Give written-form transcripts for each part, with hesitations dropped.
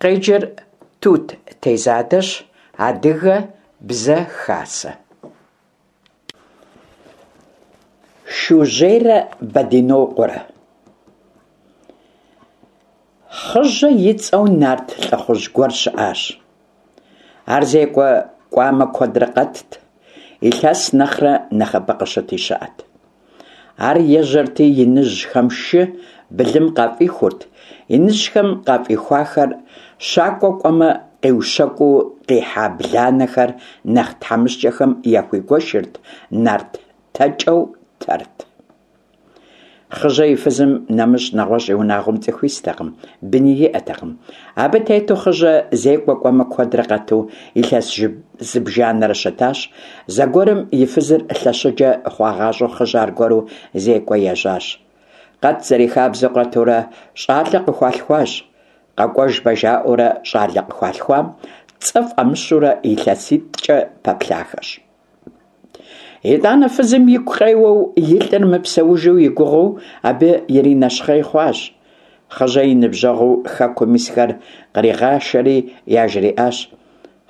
Къеджэр Тут Тезадэщ, Адыгэ Бзэ Хасэ. Шужьейрэ Бэдынокъуэрэ. Хъыжьэ и цӏэу нарт лӏыхъужь гуэр щыӏащ. Ар зекӏуэ кӏуамэ куэдрэ къэтт, илъэс нэхърэ нэхъыбэ къыщыти щыӏэт. Ар ежьэрти иныжьхэм шы, былым къафӏихурт, иныжьхэм къафӏихуахэр щакӏуэ кӏуэмэ къиущэкӏуу къихьа бланэхэр нэхъ тхьэмыщкӏэхэм яхуигуэшырт, нарт тэкӏэу тэрт. Хъыжьэ и фызым нэмыщӏ нэгъуэщӏ и унагъуэм цӏыху истэкъым, быни иӏэтэкъым. Абы тету Хъыжьэ зекӏуэ кӏуэмэ куэдрэ къэту илъэс зыбжанэрэ щытащ. Зэгуэрым и фызыр лъэщыджэ хъуагъащӏэу Хъыжьэ аргуэру зекӏуэ ежьащ. Къэт зэрихабзэу къэтурэ щӏалэ къыхуалъхуащ. Къэкӏуэжмэ жаӏэурэ щӏалэ къыхуалъхуам цӏэ фӏамыщурэ илъэситӏкӏэ пэплъахэщ. Итӏанэ фызым игу къеуэу, и лӏыр мыпсэужу и гугъэу абы иринэщхъей хъуащ. Хъыжьэ и ныбжьэгъуу хэкум исхэр къригъашэри яжриӏащ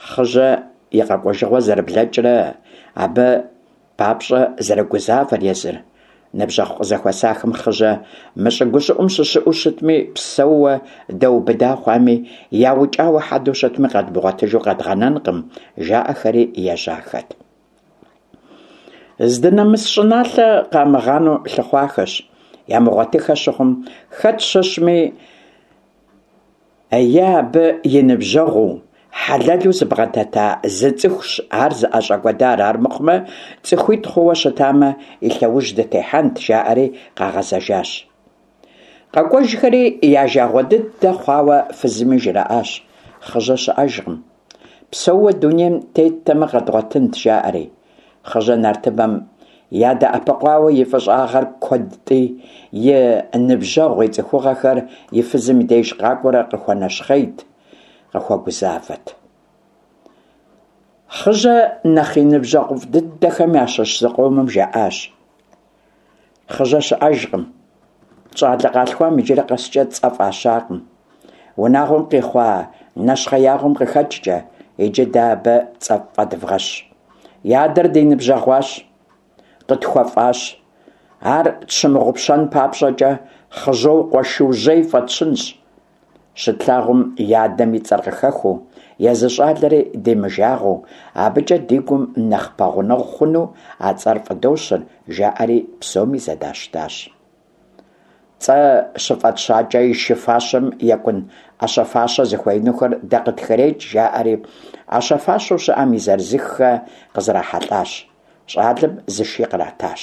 Хъыжьэ и къэкӏуэжыгъуэ зэрыблэкӏрэ абы папщӏэ зэрыгузавэр езыр. Ныбжьэгъу къызэхуэсахэм Хъыжьэ мы щӏы гущӏыӏум щыщыӏэу щытми, псэууэ даубыда хъуами, яукӏауэ хьэдэу щытми къэдмыгъуэтыжу къэдгъэнэнкъым, жаӏэхэри ежьахэт. Здынэмыс щӏыналъэ къамыгъанэу лъыхъуахэщ, ямыгъуэтыхэ щыхъум, хэт щыщми, Е абы и ныбжьэгъуу, хьэлэлу зыбгъэдэта зы цӏыхущ ар зыӏэщӏэкӏуэдар, армыхъумэ, цӏыхуитӏ хъууэ щытамэ, и лъэужь дытехьэнт, жаӏэри къагъэзэжащ. Къэкӏуэжхэри я жагъуэ дыдэ хъуауэ фызми жраӏащ, Хъыжьэ щыӏэжкъым. Псэууэ дунейм теттэмэ къэдгъуэтынт, жаӏэри. Хъыжьэ нартыбэм ядэӏэпыкъуауэ и фӏыщӏагъэр куэдти, и ныбжьэгъу, и цӏыхугъэхэр и фызым и деж къакӏуэрэ къыхуэнэщхъейт, къыхуэгузавэт. Хъыжьэ нэхъ и ныбжьэгъуфӏ дыдэхэм ящыщ зыкъомым жаӏащ. Хъыжьэ щыӏэжкъым. Щӏалэ къалъхуам иджыри къэскӏэ цӏэ фӏащакъым. Унагъуэм къихъуа нэщхъеягъуэм къыхэкӏкӏэ, иджы дэ абы цӏэ фӏэдывгъэщ. И адэр ди ныбжьэгъуащ, къытхуэфӏащ. Ар тщымыгъупщэн папщӏэкӏэ Хъыжьокъуэ Шужьей фӏэтщынщ. Щытлъагъум и адэм и цӏэр къыхэхуэу, езы щӏалэри димыжагъуэу, абыкӏэ ди гум нэхъ пэгъунэгъу хъуну а цӏэр фӏыдощыр, жаӏэри псоми зэдащтащ. Цӏэ щыфӏэтщакӏэ и шы фащэм екӏун ӏэщэ-фащэ зыхуеинухэр дэ къытхырекӏ, жаӏэри ӏэщэ-фащэу щыӏэм и зырызыххэ къызэрахьэлӏащ. Щӏалэм зы ши къратащ.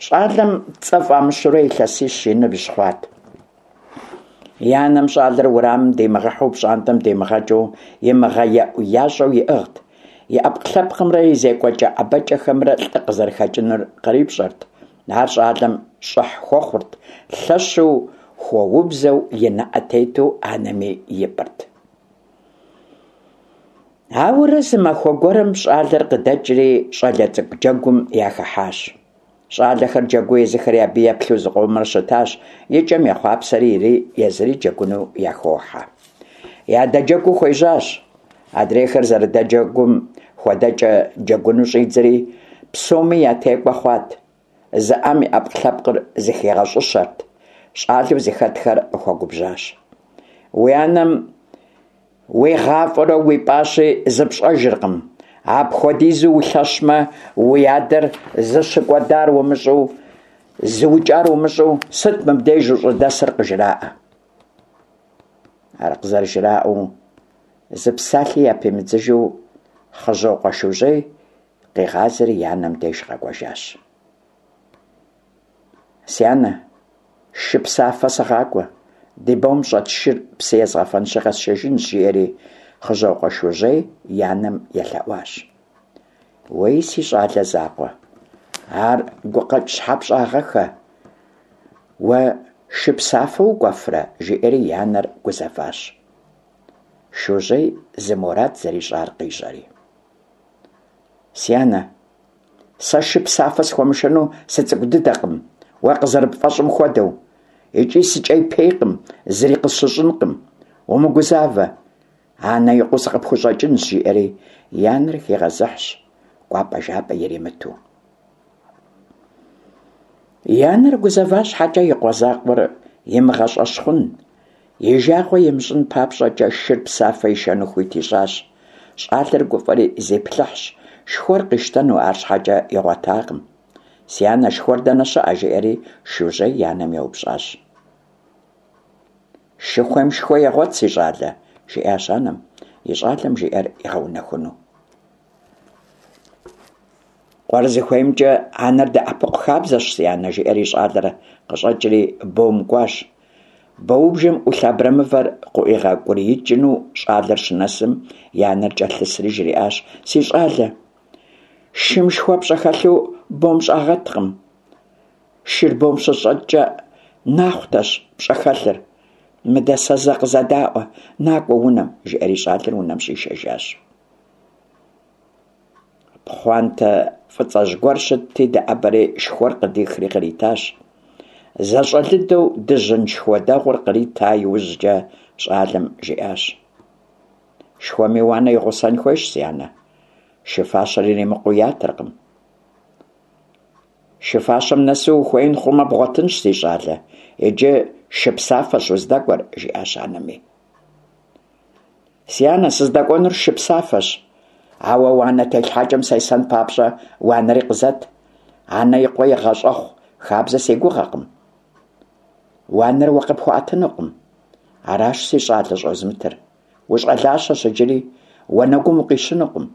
Щӏалэм цӏэ фӏамыщурэ илъэсищ и ныбжь хъуат. И анэм щӏалэр уэрамым димыгъэхьэу, пщӏантӏэм димыгъэкӏыу, имыгъэеӏу-ящӏэу иӏыгът. И ӏэпкълъэпкъымрэ и зекӏуэкӏэ ӏэбэкӏэхэмрэ лӏы къызэрыхэкӏынур кърипщӏэрт. Ар щӏалэм щӏыхь хуэхъурт, лъэщу хуэубзэу и нэӏэ тету анэми ипӏырт. Ауэрэ зы махуэ гуэрым щӏалэр къыдэкӏри щӏалэ цӏыкӏу джэгум яхыхьащ. Щӏалэхэр джэгуу езыхэри абы еплъу зыкъомрэ щытащ, и кӏэм ехъуапсэри ири езыри джэгуну яхохьэ. Ядэджэгуу хуежьащ. Адрейхэр зэрыдэджэгум хуэдэкӏэ джэгуну щӏидзэри, псоми ятекӏуэ хъуат. Зы ӏэм и ӏэпкълъэпкъыр зыхигъэщӏыщэрт. Щӏалэу зыхэтхэр къыхуэгубжьащ. Уи анэм уигъафӏэурэ уипӏащи зыпщӏэжыркъым. Апхуэдизу улъэщмэ, уи адэр зыщыкӏуэдар умыщӏэу, зыукӏар умыщӏэу, сыт мыбдеж ущӏыдэсыр къыжраӏэ. Ар къызэрыжраӏэу, зы псалъи япимыдзыжу Хъыжьокъуэ Шужьей къигъазэри и анэм деж къэкӏуэжащ. Си анэ, шы псафэ сыгъакӏуэ, ди бом щӏэт шыр псы езгъэфэнщи къэсшэжынщ, жиӏэри Хъыжьокъуэ Шужьей и анэм елъэӏуащ. Уей, си щӏалэ закъуэ, ар гукъэкӏ щхьэ пщӏагъэххэ? Уэ шы псафэ укӏуэфрэ? жиӏэри и анэр гузэващ. Шужьей зы мурад зэрищӏар къищӏэри. Си анэ, сэ шы псафэ схуэмышэну сыцӏыкӏу дыдэкъым, уэ къызэрыпфӏэщӏым хуэдэу, икӏи сыкӏейпейкъым, зыри къысщыщӏынкъым. Умыгузавэ, анэ и къуэу сыкъыпхущӏэкӏынщ, жиӏэри, и анэр хигъэзыхьщ, кӏуапӏэ-жапӏэ иримыту. И анэр гузэва щхьэкӏэ и къуэ закъуэр имыгъэщӏэщхъун, и жагъуэ имыщӏын папщӏэкӏэ шыр псафэ ишэну хуит ищӏащ. Щӏалэр гуфӏэри зиплъыхьщ, шхуэр къищтэну, арщхьэкӏэ игъуэтакъым. Си анэ, шхуэр дэнэ щыӏэ? жиӏэри Шужьей и анэм еупщӏащ. Шы хуейм шхуэ егъуэт, си щӏалэ, жиӏащ анэм, и щӏалэм жиӏэр игъэунэхуну. Къуэр зыхуеймкӏэ анэр дэӏэпыкъу хабзэщ, си анэ, жиӏэри щӏалэр къыщӏэкӏри бом кӏуащ. Боубжэм ӏулъ абрэмывэр къыӏуигъэкӏуриикӏыну щӏалэр щынэсым, и анэр кӏэлъысри жриӏащ: Си щӏалэ, шым шхуэ пщӏэхэлъу бом щӏагъэткъым. Шыр бом щыщӏэткӏэ нахъутэщ пщӏэхэлъыр. Мыдэ сэ зэ къызэдаӏуэ, накӏуэ унэм, жиӏэри щӏалэр унэм щӏишэжащ. Пхъуантэ фӏыцӏэжь гуэр щытти, дэӏэбэри шхуэр къыдихри къритащ. Зэщӏэлыдэу дыжьын шхуэ дэгъуэр кърита иужькӏэ щӏалэм жиӏащ: Шхуэми уанэ и гъусэн хуейщ, си анэ. Шы фащэр иримыкъуу ятыркъым. Шы фащэм нэсу ухуеин хъумэ бгъуэтынщ, си щӏалэ. Иджы шы псафэщ уздэкӏуэр, жиӏащ анэми. Си анэ, сыздэкӏуэнур шы псафэщ, ауэ уанэ телъхьэкӏэм сесэн папщӏэ уанэри къызэт. Анэ и къуэ игъэщӏэхъу хабзэ си гугъэкъым. Уанэр уэ къыпхуэӏэтынукъым. Аращ си щӏалэ щӏозмытыр. Ущӏалащэщ иджыри, уанэгум укъищынукъым.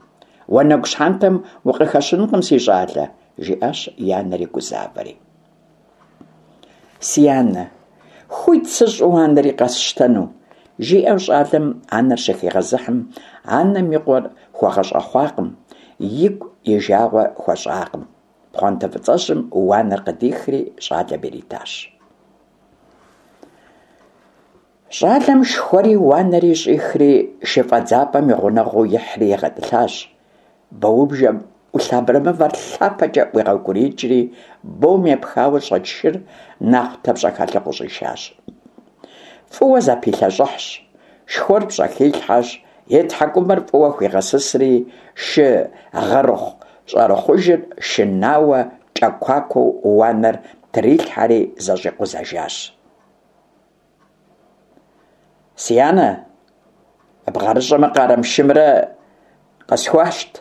Уанэгу щхьэнтэм укъыхэщынкъым, си щӏалэ, жиӏащ и анэри гузавэри. Си анэ, хуит сыщӏ уанэри къэсщтэну, жиӏэу щӏалэм анэр щыхигъэзыхьым, анэм и къуэр хуэгъэщӏэхъуакъым, игу и жагъуэ хуэщӏакъым. Пхъуантэ фӏыцӏэжьым уанэр къыдихри щӏалэм иритащ. Щӏалэм шхуэри уанэри щӏихри шыфӏэдзапӏэм и гъунэгъуу ихьри игъэтӏылъащ. Боубжэм ӏулъ абрэмывэр лъапэкӏэ ӏуигъэукӏуриикӏри, бом епхауэ щӏэт шыр нахъутэ пщӏэхэлъу къыщӏишащ. Фӏыуэ зэпилъэщӏыхьщ, шхуэр пщӏэхилъхьэщ, и тхьэкӏумэр фӏыуэ хуигъэсысри, шы гъэрыхъу-щӏэрыхъужыр шынауэ кӏэкуакуэу уанэр трилъхьэри зэщӏикъузэжащ. Си анэ, бгъэрыщӏэмрэ къарэмышымрэ къысхуащт.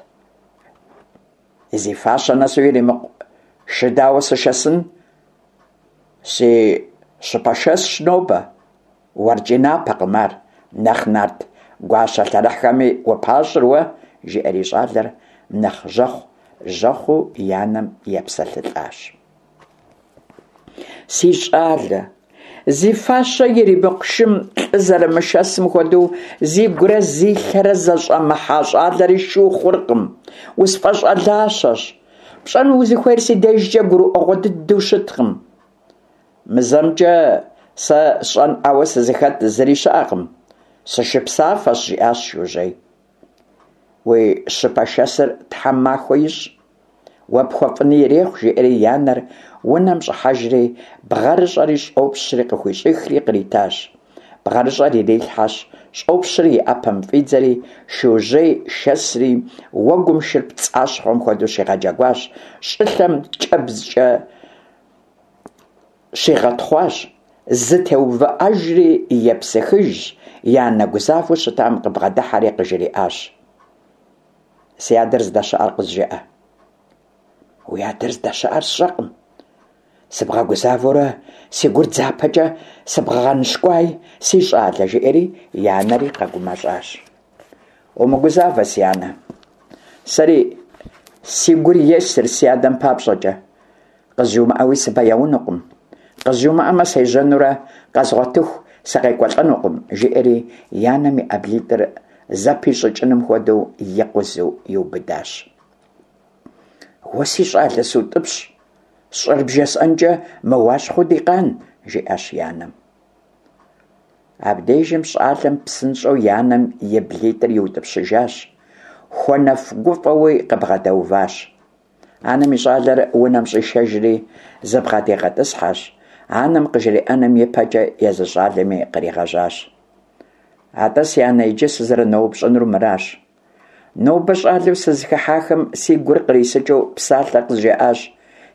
Зи фащэ нэсу иримыкъу шы дауэ сышэсын? Си щыпэшэсщ нобэ. Уэркӏи напэкъым ар, нэхъ нарт гуащэ лъэрыхьхэми упащӏыр уэ, жиӏэри щӏалэр нэхъ жьэхъу-жьэхъуу и анэм епсэлъылӏащ. Си щӏалэ, зи фащэ иримыкъу шым лӏы зэрымышэсым хуэдэу зигурэ зи лъэрэ зэщӏэмыхьа щӏалэри шу хъуркъым. Усфӏэщӏалащэщ. Пщӏэну узыхуейр си дежкӏэ гурыӏуэгъуэ дыдэу щыткъым. Мы зэмкӏэ сэ сщӏэнӏауэ сызыхэт зыри щыӏэкъым. Сышыпсафэщ, жиӏащ Шужьей. Уи щыпэшэсыр Тхьэм махуэ ищӏ. Уэ пхуэфӏыни ирехъу, жиӏэри и анэр унэм щӏыхьэжри, бгъэрыщӏэри щӏопщри къыхуищӏихри къритащ. Бгъэрыщӏэр ирилъхьэщ, щӏопщыр и ӏэпэм фӏидзэри, Шужьей шэсри, уэгум шыр пцӏащхъуэм хуэдэу щигъэджэгуащ, щӏылъэм кӏэбдзкӏэ щигъэтхъуащ, зэтеувыӏэжри епсыхыжщ, и анэ гузавэу щытам къыбгъэдыхьэри къыжриӏащ. Си адэр здэщыӏэр къызжыӏэ. Уи адэр здэщыӏэр сщӏэкъым. Сыбгъэгузавэурэ си гур дзапэкӏэ сыбгъэгъэныщкӏуай, си щӏалэ, жиӏэри и анэри къэгумэщӏащ. Умыгузавэ, си анэ. Сэри си гур есыр си адэм папщӏэкӏэ. Къызжумыӏэуи сыбэяунукъым. Къызжумыӏэмэ, сежьэнурэ къэзгъуэтыху сыкъекӏуэлӏэнукъым, жиӏэри и анэм и ӏэблитӏыр зэпищӏыкӏыным хуэдэу икъузу иубыдащ. Уэ си щӏалэ сутӏыпщ, сщӏэр бжесӏэнкӏэ мыуащхъуэу ди къан, жиӏащ и анэм. Абдежым щӏалэм псынщӏэу и анэм и блитӏыр иутӏыпщыжащ, хуэнэф-гуфӏэуи къыбгъэдэуващ. Анэм и щӏалэр унэм щӏишэжри, зыбгъэдигъэтӏысхьэщ, анэм къыжриӏэным и пэкӏэ езы щӏалэми къригъэжьащ. Атӏэ, си анэ, иджы сызэрыноупщӏынур мыращ. Нобэ щӏалэу сызыхыхьахэм си гур кърисыкӏыу псалъэ къызжаӏащ,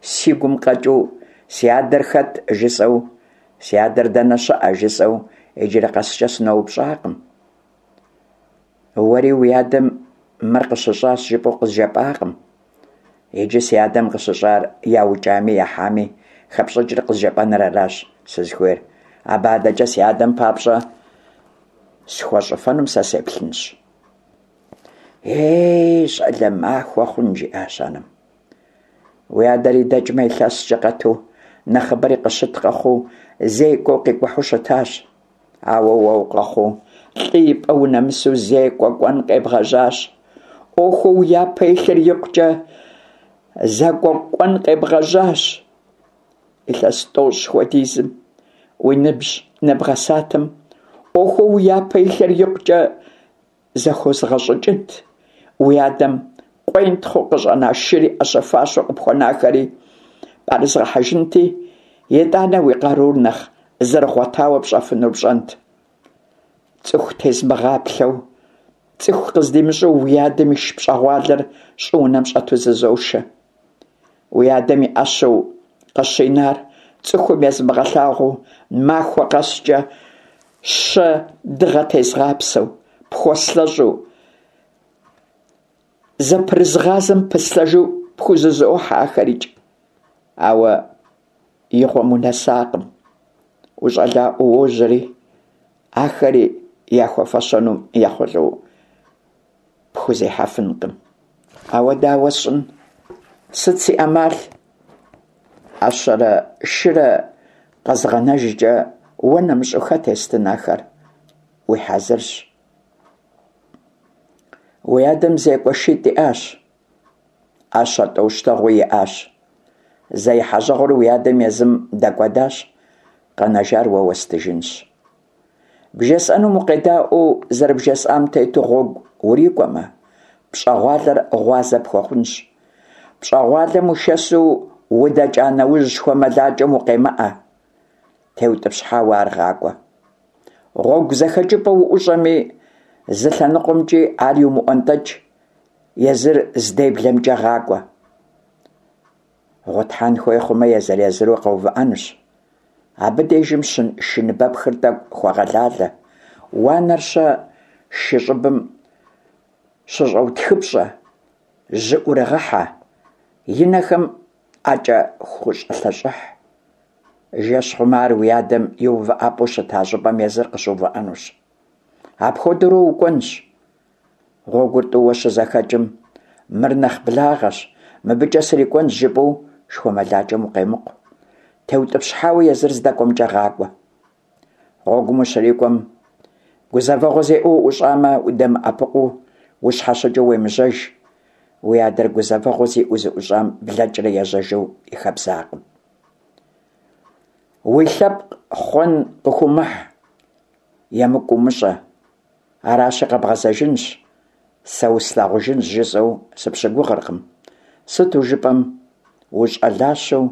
си гум къэкӏыу си адэр хэт жысӏэу, си адэр дэнэ щыӏэ жысӏэу иджыри къэскӏэ сыноупщӏакъым. Уэри уи адэм мыр къыщыщӏащ жыпӏэу къызжепӏакъым. Иджы си адэм къыщыщӏар яукӏами яхьами хэпщӏыкӏыр къызжепӏэныр аращ сызыхуейр. Абы адэкӏэ си адэм папщӏэ схуэщӏыфэнум сэ сеплъынщ. Ей, щӏалэ махуэ хъун, жиӏащ анэм. Уи адэри дэкӏмэ илъэскӏэ къэту, нэхъыбэри къыщыт къэхъуу, зекӏуэу къикӏухьу щытащ. Ауэ уэ укъэхъуу, лӏы и пӏэ унэмысу зекӏуэ кӏуэн къебгъэжьащ. ӏуэхуу уи япэ илъыр икъукӏэ зэкӏуэкӏуэн къебгъэжьащ. Илъэс тӏощӏ хуэдизым уи ныбжь нэбгъэсатэм, ӏуэхуу уи япэ илъыр икъукӏэ зэхозгъэщӏыкӏынт. Уи адэм къуентхъыу къыщӏэна шыри ӏэщэ-фащэу къыпхуэнахэри пӏэрызгъэхьэжынти, итӏанэ уи къарур нэхъ зэрыгъуэтауэ пщӏэфынур пщӏэнт. Цӏыху тезмыгъаплъэу, цӏыху къыздимыщӏэу уи адэм иш пщӏэгъуалэр щӏыунэм щӏэту зызошэ. Уи адэм и ӏэщэу къыщинар цӏыхум езмыгъэлъагъуу, махуэ къэскӏэ щэ дыгъэ тезгъапсэу, пхуэслъэщӏу, зэпрызгъазэм пыслъэжу пхузызохьэ ахэрикӏ. Ауэ игъуэм унэсакъым, ущӏалэӏуэу уожьэри, ахэри яхуэфэщэнум ехъулӏэу пхузехьэфынкъым. Ауэ дауэ сщӏын? Сыт си ӏэмал? ӏэщэрэ шырэ къэзгъэнэжкӏэ уэ нэмыщӏу хэт естын ахэр? Уи хьэзырщ. Уи адэм зекӏуэ шитӏ иӏащ, ӏэщэ тӏощтэгъуи иӏащ. Зэ ехьэжьэгъуэр уи адэм езым дэкӏуэдащ, къэнэжар уэ уэстыжынщ. Бжесӏэнум укъедаӏуэу зэрыбжесӏам тету гъуэгу урикӏуэмэ, пщӏэгъуалэр гъуазэ пхуэхъунщ. Пщӏэгъуалэм ушэсу удэкӏа нэужь шхуэмылакӏэм укъемыӏэ, теутӏыпщхьауэ ар гъакӏуэ. Гъуэгу зэхэкӏыпӏэ уӏущӏэми, зы лъэныкъуэмкӏи ар иумыӏуэнтӏэкӏ, езыр здеблэмкӏэ гъакӏуэ. Гъутхьэн хуей хъумэ, езыр-езыру къэувыӏэнущ. Абы дежым шы ныбэпхыр тӏэкӏу хуэгъэлалэ, уанэр-щэ шы щӏыбым щыщӏэутхыпщӏэ, жьы ӏурыгъэхьэ, и нэхэм ӏэкӏэ хущӏэлъэщӏыхь. Жэщ хъумэ, ар уи адэм и увыӏэпӏэу щыта щӏыпӏэм езыр къыщыувыӏэнущ. Апхуэдэурэ укӏуэнщ. Гъуэгур тӏууэ щызэхэкӏым, мыр нэхъ благъэщ, мыбыкӏэ срикӏуэнщ жыпӏэу шхуэмылакӏэм укъемыкъу. Теутӏыпщхьауэ езыр здэкӏуэмкӏэ гъакӏуэ. Гъуэгум ущрикӏуэм, гузэвэгъуэ зиӏэу уӏущӏамэ, удэмыӏэпыкъуу, ущхьэщыкӏыу уемыжьэж. Уи адэр гузэвэгъуэ зиӏэу зыӏущӏам блэкӏрэ ежьэжу и хабзакъым. Уи лъэпкъ хъуэн къыхуумыхь, емыкӏу умыщӏэ. Аращи, къэбгъэзэжынщ, сэ услъагъужынщ жысӏэу сыпщыгугъыркъым. Сыту жыпӏэм, ущӏалащэу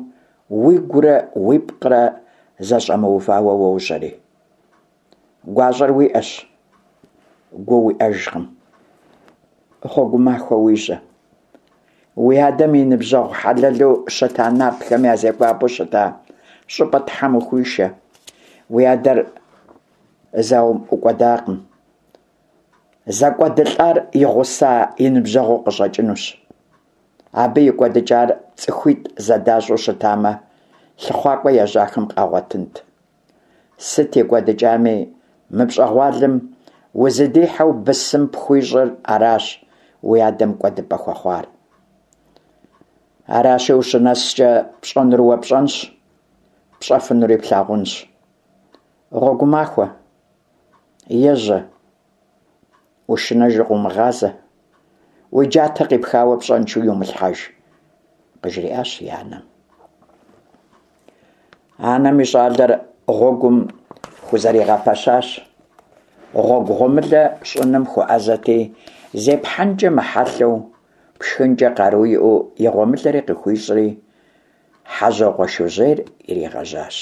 уигурэ уипкърэ зэщӏэмыувауэ уожьэри. Гуащӏэр уиӏэщ, гу уиӏэжкъым. Гъуэгу махуэ уижьэ. Уи адэм и ныбжьэгъу хьэлэлу щыта нартхэм я зекӏуапӏэу щыта щӏыпӏэ Тхьэм ухуишэ. Уи адэр зауэм ӏукӏуэдакъым. Зэкӏуэдылӏар и гъуса и ныбжьэгъуу къыщӏэкӏынущ. Абы и кӏуэдыкӏар цӏыхуитӏ зэдащӏэу щытамэ, лъыхъуакӏуэ ежьахэм къагъуэтынт. Сыт и кӏуэдыкӏами, мы пщӏэгъуалэм узыдихьэу бысым пхуищӏыр аращ уи адэм кӏуэдыпӏэ хуэхъуар. Аращи, ущынэскӏэ пщӏэнур уэ пщӏэнщ, пщӏэфынури плъагъунщ. Гъуэгу махуэ, ежьэ, ушынэжу къыумыгъазэ, уи джатэ къипхауэ пщӏэншэу иумылъхьэж, къыжриӏащ и анэм. Анэм и щӏалэр гъуэгум хузэригъэпэщащ. Гъуэгу гъуэмылэ щӏыным хуэӏэзэти, зепхьэнкӏэ мыхьэлъэу, пшхынкӏэ къару иӏэу и гъуэмылэри къыхуищӏри, Хьэжьокъуэ Шужьейр иригъэжьащ.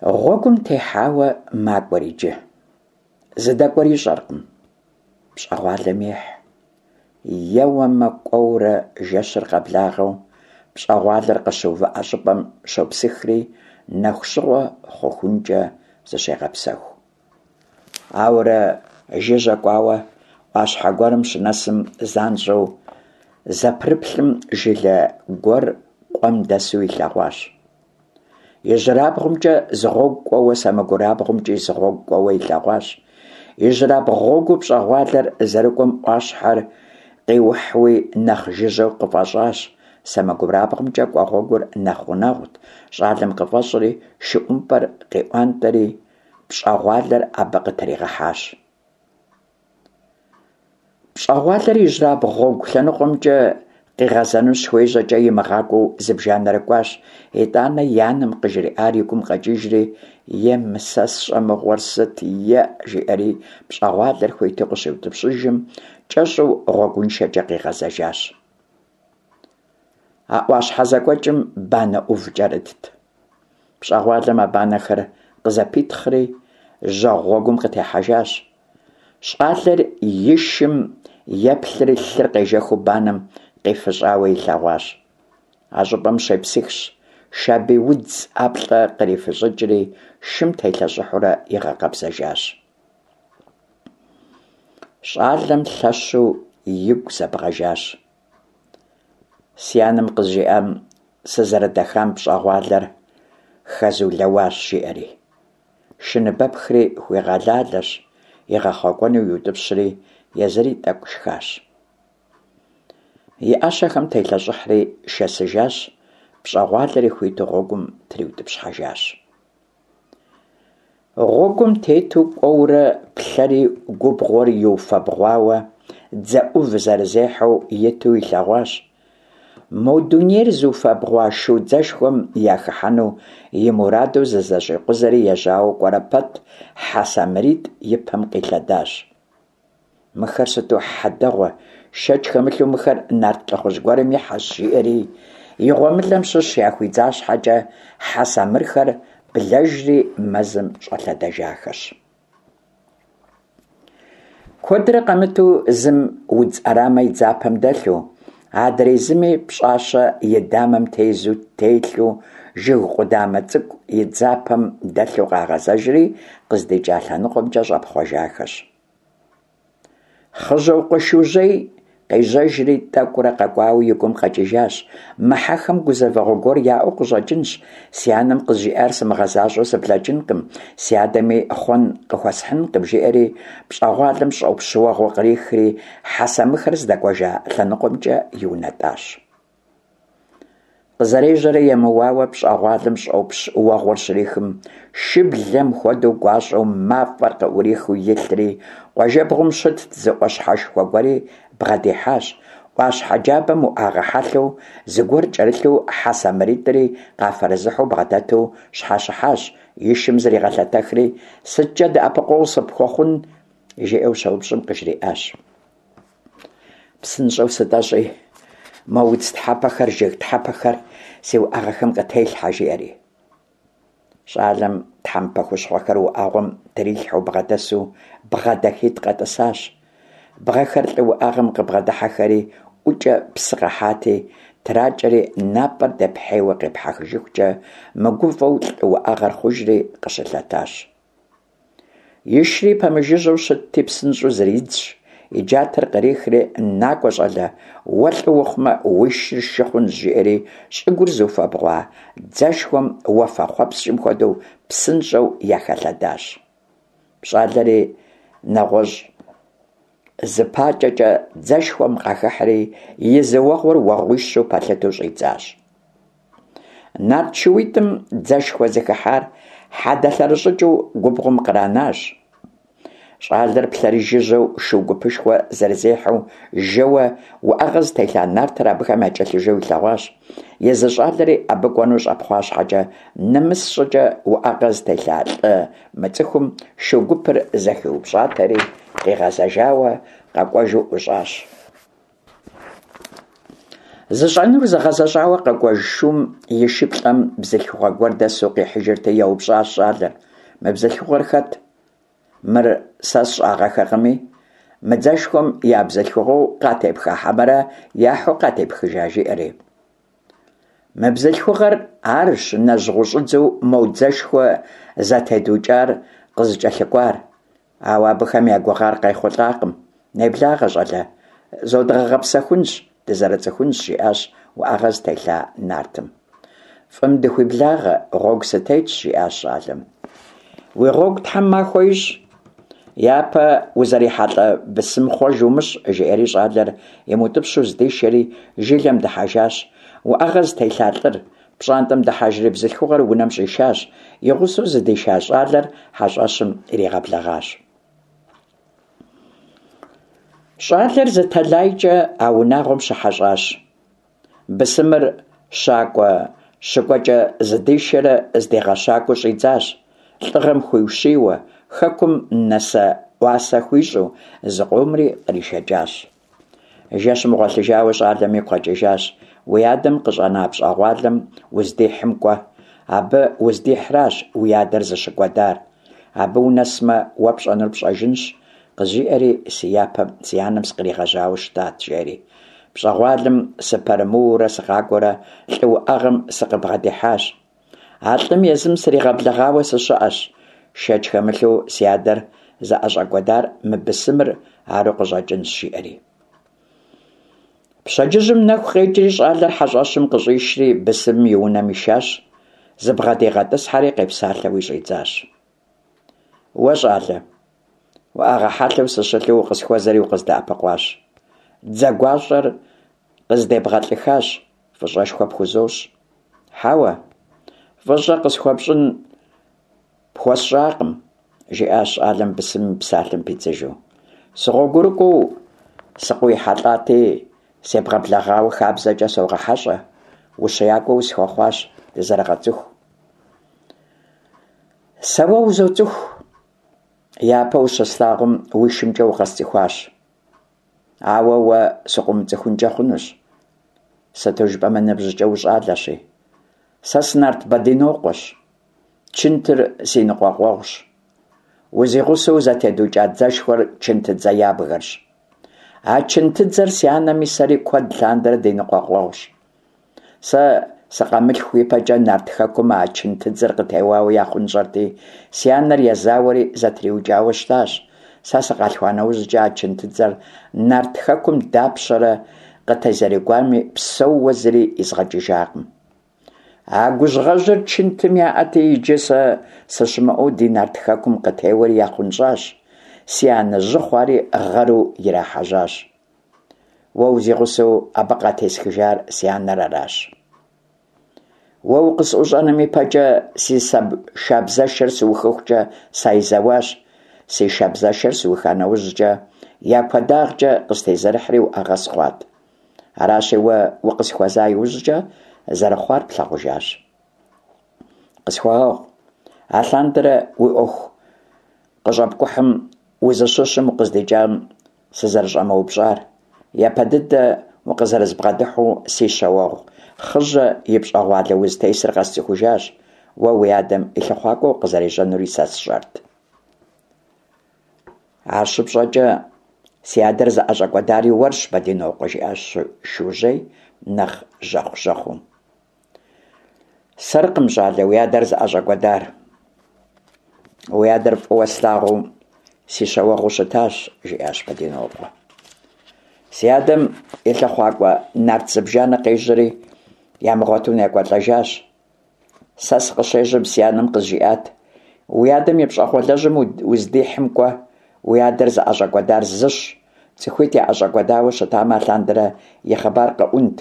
Гъуэгум техьауэ макӏуэр иджы. Зыдэкӏуэр ищӏэркъым. Пщӏэгъуалэм ехь. Еуэмэ, кӏуэурэ жэщыр къэблагъэу пщӏэгъуалэр къыщыувыӏэ щӏыпӏэм щопсыхри, нэху щыгъуэ хъухункӏэ зыщегъэпсэху. Ауэрэ жыжьэ кӏуауэ ӏуащхьэ гуэрым щынэсым занщӏэу зэпрыплъым жылэ гуэр къуэм дэсу илъэгъуащ. Ижьырабгъумкӏэ зы гъуэгу кӏуэуэ, сэмэгурабгъумкӏи зы гъуэгу кӏуэуэ илъэгъуащ. Ижьырабгъу гъуэгуу пщӏэгъуалэр зэрыкӏуэм ӏуащхьэр къиухьуи нэхъ жыжьэу къыфӏэщӏащ. Сэмэгурабгъумкӏэ кӏуэ гъуэгур нэхъ гъунэгъут, щӏалэм къыфӏэщӏри, шы ӏумпӏэр къиӏуантӏэри, пщӏэгъуалэр абы къытригъэхьащ. Пщӏэгъуалэр ижьрабгъу гъуэгу лъэныкъуэмкӏэ къигъэзэну щыхуежьэкӏэ имыгъакӏуэу зыбжанэрэ кӏуащ, итӏанэ и анэм къыжриӏар и гум къэкӏыжри, Е мы сэ сщӏэ мыгъуэр сыт, еӏ, жиӏэри пщӏэгъуалэр хуиту къыщиутӏыпщыжым, кӏэщӏу гъуэгуншэкӏэ къигъэзэжащ. А ӏуащхьэ зэкӏуэкӏым банэ ӏув кӏэрытт. Пщӏэгъуалэм а банэхэр къызэпитхъри, жьэгъу гъуэгум къытехьэжащ. Щӏалэр и шым еплъри лъыр къежэхыу банэм къифыщӏауэ илъэгъуащ. А щӏыпӏэм щепсыхщ, шабий удз ӏэплӏэ кърифыщӏыкӏри, шым телъэщӏыхьурэ игъэкъэбзэжащ. Щӏалэм лъэщу игу зэбгъэжащ. Си анэм къызжиӏам сызэрыдэхам пщӏэгъуалэр хэзулэуащ, жиӏэри. Шы ныбэпхри хуигъэлалэщ, игъэхъуэкӏуэну иутӏыпщри, езыри тӏэкӏу шхащ. И ӏэщэхэм телъэщӏыхьри шэсыжащ, пщӏэгъуалэри хуиту гъуэгум триутӏыпщхьэжащ. Гъуэгум тету кӏуэурэ плъэри губгъуэр иуфэбгъуауэ дзэ ӏув зэрызехьэу иту илъэгъуащ. Мо дунейр зыуфэбгъуа шу дзэшхуэм яхыхьэну и мураду зызэщӏикъузэри ежьауэ кӏуэрэ пэт хьэ самыритӏ и пэм къилъэдащ. Мыхэр сыту хьэ дэгъуэ, шэч хэмылъу мыхэр нарт лӏыхъужь гуэрым и хьэщ, жиӏэри, и гъуэмылэм щыщ яхуидза щхьэкӏэ, хьэ самырхэр блэжри мэзым щӏэлъэдэжахэщ. Куэдрэ къэмыту зым удз ӏэрамэ и дзапэм дэлъу, адрей зыми пщӏащэ и дамэм тезу телъу, жыг къудамэ цӏыкӏу и дзапэм дэлъу къагъэзэжри, къыздикӏа лъэныкъуэмкӏэ щӏэпхъуэжахэщ. Хъыжьэукъуэ Шужьей къежьэжри тӏэкӏурэ къэкӏуауэ и гум къэкӏыжащ, Мы хьэхэм гузэвэгъуэ гуэр яӏэу къыщӏэкӏынщ, си анэм къызжиӏар сымыгъэзащӏэу сыблэкӏынкъым, си адэми хъуэн къыхуэсхьынкъым, жиӏэри пщӏэгъуалэм щӏопщ уэгъуэ кърихри, хьэ самырхэр здэкӏуэжа лъэныкъуэмкӏэ иунэтӏащ. Къызэрежьэрэ емыуауэ пщӏэгъуалэм щӏопщ уэгъуэр щрихым, шыблэм хуэдэу гуащӏэу мафӏэр къыӏурихыу илъри, къуажэбгъум щытт зы ӏуащхьэшхуэ гуэри бгъэдихьащ. ӏуащхьэ джабэм уӏэгъэ хьэлъэу зыгуэр кӏэрылъу хьэ самыритӏри къафэрызыхьу бгъэдэту щхьэщыхьащ, и шым зригъэлъэтэхри, сыткӏэ дэӏэпыкъуэгъу сыпхуэхъун? жиӏэу щеупщӏым къыжриӏащ. Псынщӏэу сытӏэщӏи, мо удз тхьэпэхэр, жыг тхьэпэхэр си уӏэгъэхэм къытелъхьэ, жиӏэри. Щӏалэм тхьэмпэ хущхъуэхэр уӏэгъуэм трилъхьэу бгъэдэсу бгъэ дахитӏ къэтӏысащ. Бгъэхэр лӏы уӏэгъэм къыбгъэдыхьэхэри ӏукӏэ псы къахьати, тракӏэри напӏэр дэпхьейуэ къепхьэхыжыхукӏэ мыгувэу лӏы уӏэгъэр хъужри къыщылъэтащ. Ишри пэмыжыжьэу щытти, псынщӏэу зридзщ, и джатэр кърихри, Накӏуэ, щӏалэ, уэ лӏы ухъумэ, уи шыр шы хъунщ, жиӏэри, щӏыгур зыуфэбгъуа дзэшхуэм уафэхъуэпскӏым хуэдэу псынщӏэу яхэлъэдащ. Щӏалэри нэгъуэщӏ зы пакӏэкӏэ дзэшхуэм къахыхьри, и зы уэгъуэр уэгъуищу пэлъыту щӏидзащ. Нарт шууитӏым дзэшхуэ зыхыхьар хьэдэ лъэрыщӏыкӏыу губгъуэм къранащ. Щӏалэр плъэри жыжьэу шу гупышхуэ зэрызехьэу жэуэ уӏэгъэ зытелъа нартыр абыхэм якӏэлъыжэу илъэгъуащ. Езы щӏалэри абы кӏуэну щӏэпхъуа щхьэкӏэ, нэмыс щӏыкӏэ уӏэгъэ зытелъа лӏы мыцӏыхум шу гупыр зэхиупщӏатэри, къигъэзэжауэ къэкӏуэжу ӏущӏащ. Зыщӏэнур зыгъэзэщӏауэ къэкӏуэж шум и шыплӏэм бзылъхугъэ гуэр дэсу къихьыжырти, еупщӏащ щӏалэр: Мы бзылъхугъэр хэт? Мыр сэ сщӏагъэхэкъыми, мы дзэшхуэм я бзылъхугъэу къатепха хьэмэрэ яхьу къатепхыжа, жиӏэри. Мы бзылъхугъэр арщ нэжьгъущӏыдзэу мо дзэшхуэ зэтедукӏар къызыкӏэлъыкӏуар. Ауэ абыхэм я гугъар къайхъулӏакъым. Неблагъэ, щӏалэ, зодгъэгъэпсэхунщ, дызэрыцӏыхунщ, жиӏащ уӏэгъэ зытелъа нартым. Фӏым дыхуиблагъэ, гъуэгу сытетщ, жиӏащ щӏалэм. Уи гъуэгу Тхьэм махуэ ищӏ. Япэ узэрихьэлӏэ бысым хъуэж умыщӏ, жиӏэри щӏалэр имыутӏыпщу здишэри жылэм дыхьэжащ. Уӏэгъэ зытелъа лӏыр пщӏантӏэм дыхьэжри бзылъхугъэр унэм щӏишащ, и гъусэу зыдиша щӏалэр хьэщӏэщым иригъэблэгъащ. Щӏалэр зы тэлайкӏэ а унагъуэм щыхьэщӏащ. Бысымыр щакӏуэ щыкӏуэкӏэ зыдишэрэ здигъэщакӏуэу щӏидзащ, лӏыгъэм хуиущийуэ, хэкум нэсэ-ӏуасэ хуищӏу зыкъомри къришэкӏащ. Жэщым гъуэлъыжауэ щӏалэм игу къэкӏыжащ, уи адэм къыщӏэна пщӏэгъуалэм уздихьым кӏуэ, абы уздихьращ уи адэр зыщыкӏуэдар. Абы унэсмэ, уэ пщӏэнур пщӏэжынщ, къызжиӏэри си япэм си анэм сыкъригъэжьауэ щытат, жери. Пщӏэгъуалэм сыпэрымыуэурэ сыкъакӏуэрэ лӏы уӏэгъэм сыкъыбгъэдихьащ. А лӏым езым сригъэблэгъауэ сыщыӏэщ. Шэч хэмылъу си адэр зыӏэщӏэкӏуэдар мы бысымыр ару къыщӏэкӏынщ, жиӏэри. Пщэдджыжьым нэху къекӏри щӏалэр хьэщӏэщым къыщӏишри бысымым и унэм ишащ, зыбгъэдигъэтӏысхьэри къепсалъэуи щӏидзащ. Уэ, щӏалэ, уӏэгъэ хьэлъэу сыщылъу укъысхуэзэри укъыздэӏэпыкъуащ. Дзэ гуащӏэр къыздебгъэлӏыхащ, фӏыщӏэшхуэ пхузощӏ. Хьэуэ, фӏыщӏэ къысхуэпщӏын Пхуэсщӏакъым, жиӏащ щӏалэм бысымым и псалъэм пидзыжу. Сыгъуэгурыкӏуэу сыкъыуихьэлӏати, себгъэблэгъауэ хабзэкӏэ согъэхьэщӏэ, ущиякӏуэ усхуэхъуащ, дызэрыгъэцӏыху. Сэ уэ узоцӏыху. Япэ ущыслъагъум уи шымкӏэ укъэсцӏыхуащ. Ауэ уэ сыкъыумыцӏыхункӏэ хъунущ, сыту жыпӏэмэ ныбжькӏэ ущӏалэщи. Сэ сы-Нарт Бэдинокъуэщ. Чынтыр си ныкъуэкъуэгъущ. Узигъусэу зэтедукӏа дзэшхуэр чынтыдзэ ябгэрщ. А чынтыдзэр си анэми сэри куэд лъандэрэ ди ныкъуэкъуэгъущ. Сэ сыкъамылъху ипэкӏэ Нарт Хэкум а чынтыдзэр къытеуауэ яхъунщӏэрти, си анэр езауэри зэтриукӏауэ щытащ. Сэ сыкъалъхуа нэужькӏэ а чынтыдзэр Нарт Хэкум дапщэрэ къытезэрыгуами, псэууэ зыри изгъэкӏыжакъым. А гужьгъэжьыр чынтым яӏэти, иджы сэ сыщымыӏэу ди Нарт Хэкум къытеуэри яхъунщӏащ, си анэ жьы хъуари гъэру ирахьэжьащ. Уэ узигъусэу абы къатесхыжар си анэр аращ. Уэ укъысӏущӏэным ипэкӏэ си шабзэшэр сыухыхукӏэ сайзэуащ, си шабзэшэр сыуха нэужькӏэ я куэдагъкӏэ къыстезэрыхьри уӏэгъэ сыхъуат. Аращи, уэ укъысхуэза иужькӏэ зэрыхъуар плъагъужащ. Къысхуэгъэгъу, алъандэрэ уи ӏуэху къыщӏэпкӏухьым узыщыщым укъыздикӏам сызэрыщӏэмыупщӏар. Япэ дыдэ укъызэрызбгъэдыхьу си щауэгъу Хъыжьэ и пщӏэгъуалэ узытесыр къэсцӏыхужащ, уэ уи адэм и лъыхъуакӏуэ укъызэрежьэнури сэ сщӏэрт. Ар щыпщӏэкӏэ, си адэр зыӏэщӏэкӏуэдари уэрщ, Бэдинокъуэ, жиӏащ Шужьей нэхъ жьэхъу-жьэхъуу. Сэркъым, щӏалэ, уи адэр зыӏэщӏэкӏуэдар. Уи адэр фӏыуэ слъагъуу си щауэгъуу щытащ, жиӏащ Бэдинокъуэ. Си адэм и лъыхъуакӏуэ нарт зыбжанэ къежьэри, ямыгъуэту некӏуэлӏэжащ. Сэ сыкъыщежьэм си анэм къызжиӏат, Уи адэм и пщӏэгъуалэжьым уздихьым кӏуэ, уи адэр зыӏэщӏэкӏуэдар зыщ, цӏыхуитӏ яӏэщӏэкӏуэдауэ щытамэ, алъандэрэ и хъыбар къэӏунт.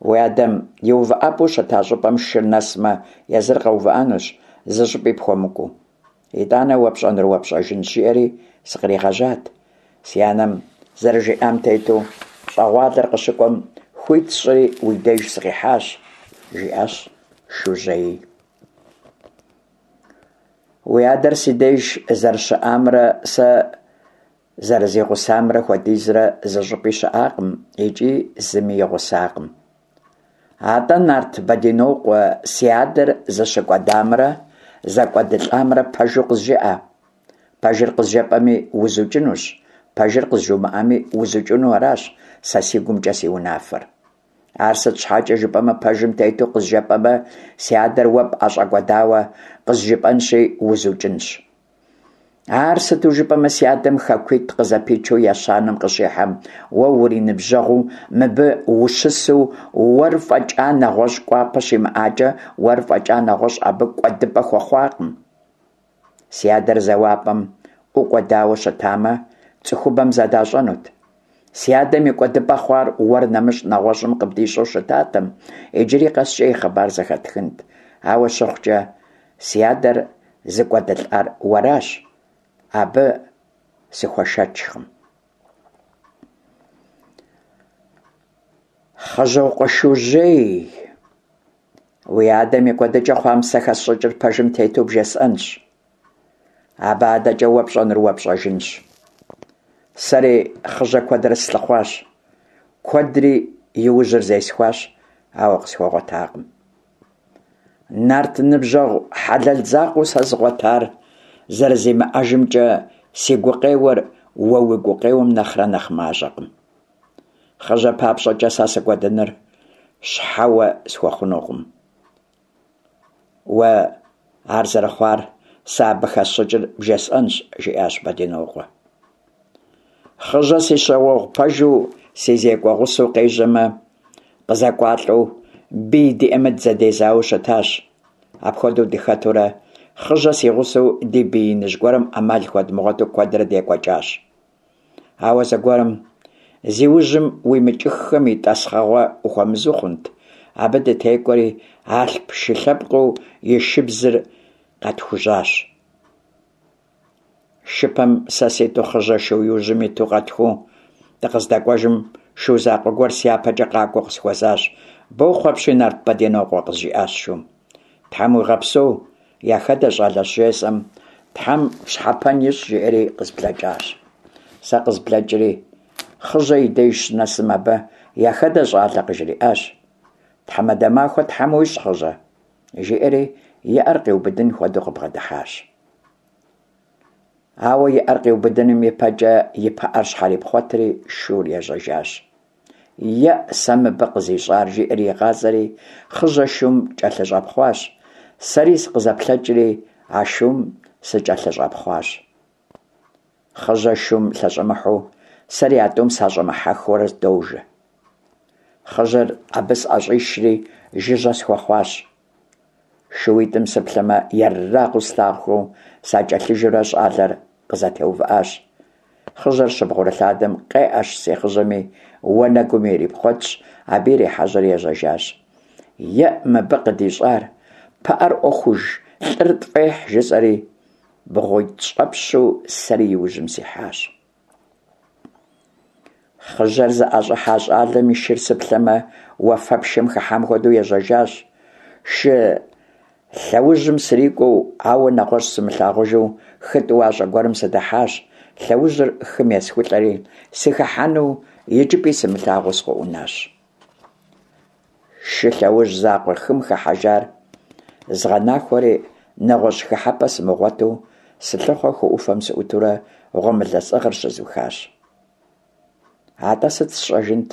Уи адэм и увыӏэпӏэу щыта щӏыпӏэм шыр нэсмэ, езыр къэувыӏэнущ, зы щӏыпӏи пхуэмыкӏуэу. Итӏанэ уэ пщӏэнур уэ пщӏэжынщ, жиӏэри сыкъригъэжьат. Си анэм зэрыжиӏам тету, пщӏэгъуалэр къыщыкӏуэм хуит сщӏыри уи деж сыкъихьащ, жиӏащ Шужьеи. Уи адэр си деж зэрыщыӏамрэ сэ зэрызигъусамрэ хуэдизрэ зы щӏыпӏи щыӏакъым икӏи зыми и гъусакъым. Атӏэ, нарт Бэдинокъуэ, си адэр зыщыкӏуэдамрэ зэкӏуэдылӏамрэ пэжу къызжыӏэ. Пэжыр къызжепӏэми, узукӏынущ, пэжыр къызжумыӏэми, узукӏыну аращ сэ си гумкӏэ си унафэр. Ар сыт щхьэкӏэ жыпӏэмэ, пэжым тету къызжепӏэмэ, си адэр уэ пӏэщӏэкӏуэдауэ къызжыпӏэнщи, узукӏынщ. Ар сыту жыпӏэмэ, си адэм хэкуитӏ къызэпичу ещанэм къыщихьэм, уэ уриныбжьэгъуу мыбы ущысу уэр фӏэкӏа нэгъуэщӏ кӏуапэ щимыӏакӏэ, уэр фӏэкӏа нэгъуэщӏ абы кӏуэдыпӏэ хуэхъуакъым. Си адэр зэуапӏэм ӏукӏуэдауэ щытамэ, цӏыхубэм зэдащӏэнут. Си адэм и кӏуэдыпӏэ хъуар уэр нэмыщӏ нэгъуэщӏым къыбдищӏэу щытатэм, иджыри къэскӏэ и хъыбар зэхэтхынт. Ауэ щыхъукӏэ, си адэр зыкӏуэдылӏар уэращ, абы сыхуэшэчкъым. Хъыжьокъуэ Шужьей, уи адэм и кӏуэдыкӏэ хъуам сэ хэсщӏыкӏыр пэжым тету бжесӏэнщ. Абы адэкӏэ уэ пщӏэнур уэ пщӏэжынщ. Сэри Хъыжьэ куэдрэ слъыхъуащ, куэдри и ужьыр зесхуащ, ауэ къысхуэгъуэтакъым. Нарт ныбжьэгъу хьэлэл закъуэу сэ згъуэтар зэрызимыӏэжымкӏэ си гукъеуэр уэ уи гукъеуэм нэхърэ нэхъ мащӏэкъым. Хъыжьэ папщӏэкӏэ сэ сыкӏуэдыныр щхьэуэ схуэхъунукъым. Уэ ар зэрыхъуар сэ абы хэсщӏыкӏыр бжесӏэнщ, жиӏащ Бэдинокъуэ. Хъыжьэ си щауэгъу пэжу, си зекӏуэ гъусэу къежьэмэ, къызэкӏуалӏэу, бий диӏэмэ дызэдезауэу щытащ. Апхуэдэу дыхэтурэ, Хъыжьэ си гъусэу ди бий иныжь гуэрым ӏэмал хуэдмыгъуэту куэдрэ декӏуэкӏащ. Ауэ зэгуэрым, зи ужьым уимыкӏыххэм и тӏасхъэгъуэ ухуэмызэу хъунт, абы дытекӏуэри, алъп шы лъэпкъыу и шыбзыр къэтхужьащ. Шыпэм сэ ситу Хъыжьэ шу иужьым иту къэтхуу дыкъыздэкӏуэжым, шу закъуэ гуэр сяпэкӏэ къакӏуэу къысхуэзащ. Бохъу апщий, нарт Бэдинокъуэ, къызжиӏащ шум. Тхьэм уигъэпсэу, яхэдэ щӏалэщ жесӏэм, Тхьэм пщхьэпэн ищӏ, жиӏэри къызблэкӏащ. Сэ къызблэкӏри, Хъыжьэ и деж щынэсым абы яхэдэ щӏалэ къыжриӏащ. Тхьэмадэ махуэ Тхьэм уищӏ, Хъыжьэ, жиӏэри и ӏэр къиубыдын хуэдэу къыбгъэдыхьащ. Ауэ и ӏэр къиубыдыным и пэкӏэ и пыӏэр щхьэрипхъуэтри шур ежьэжащ. Еӏ, сэ мыбы къызищӏар, жиӏэри игъазэри, Хъыжьэ шум кӏэлъыщӏэпхъуащ. Сэри сыкъызэплъэкӏри, а шум сыкӏэлъыщӏэпхъуащ. Хъыжьэ шум лъэщӏэмыхьэу, сэри а тӏум сащӏэмыхьэххэурэ дожэ. Хъыжьэр абы сӏэщӏишри, жыжьэ схуэхъуащ. Шууитӏым сыплъэмэ, ерагъыу слъагъухэу сакӏэлъыжэурэ щӏалэр къызэтеувыӏащ. Хъыжьэр щыбгъурылъадэм къеӏэщ си Хъыжьэми, уанэгум ирипхъуэтщ, абы ирихьэжьэри ежьэжащ. Еӏ, мыбы къыдищӏар, пыӏэр ӏуэхуж, лӏыр тфӏехь, жысӏэри, бгъуитӏщӏэпщу сэри и ужьым сихьащ. Хъыжьэр зыӏэщӏыхьа щӏалэм и шыр сыплъэмэ, уафэпшэм хыхьам хуэдэу ежьэжащ. Шы лъэужьым срикӏуэу, ауэ нэгъуэщӏ сымылъагъужу, хы тӏуащӏэ гуэрым сыдыхьащ. Лъэужьыр хым есхулӏэри, сыхыхьэну икӏыпӏи сымылъагъуу сыкъыӏунащ. Шы лъэужь закъуэ хым хыхьэжар згъэнахуэри, нэгъуэщӏ хыхьэпӏэ сымыгъуэту, сылъыхъуэ хы ӏуфэм сыӏутурэ гъуэмылэ сӏыгъыр щызухащ. Атӏэ сыт сщӏэжынт?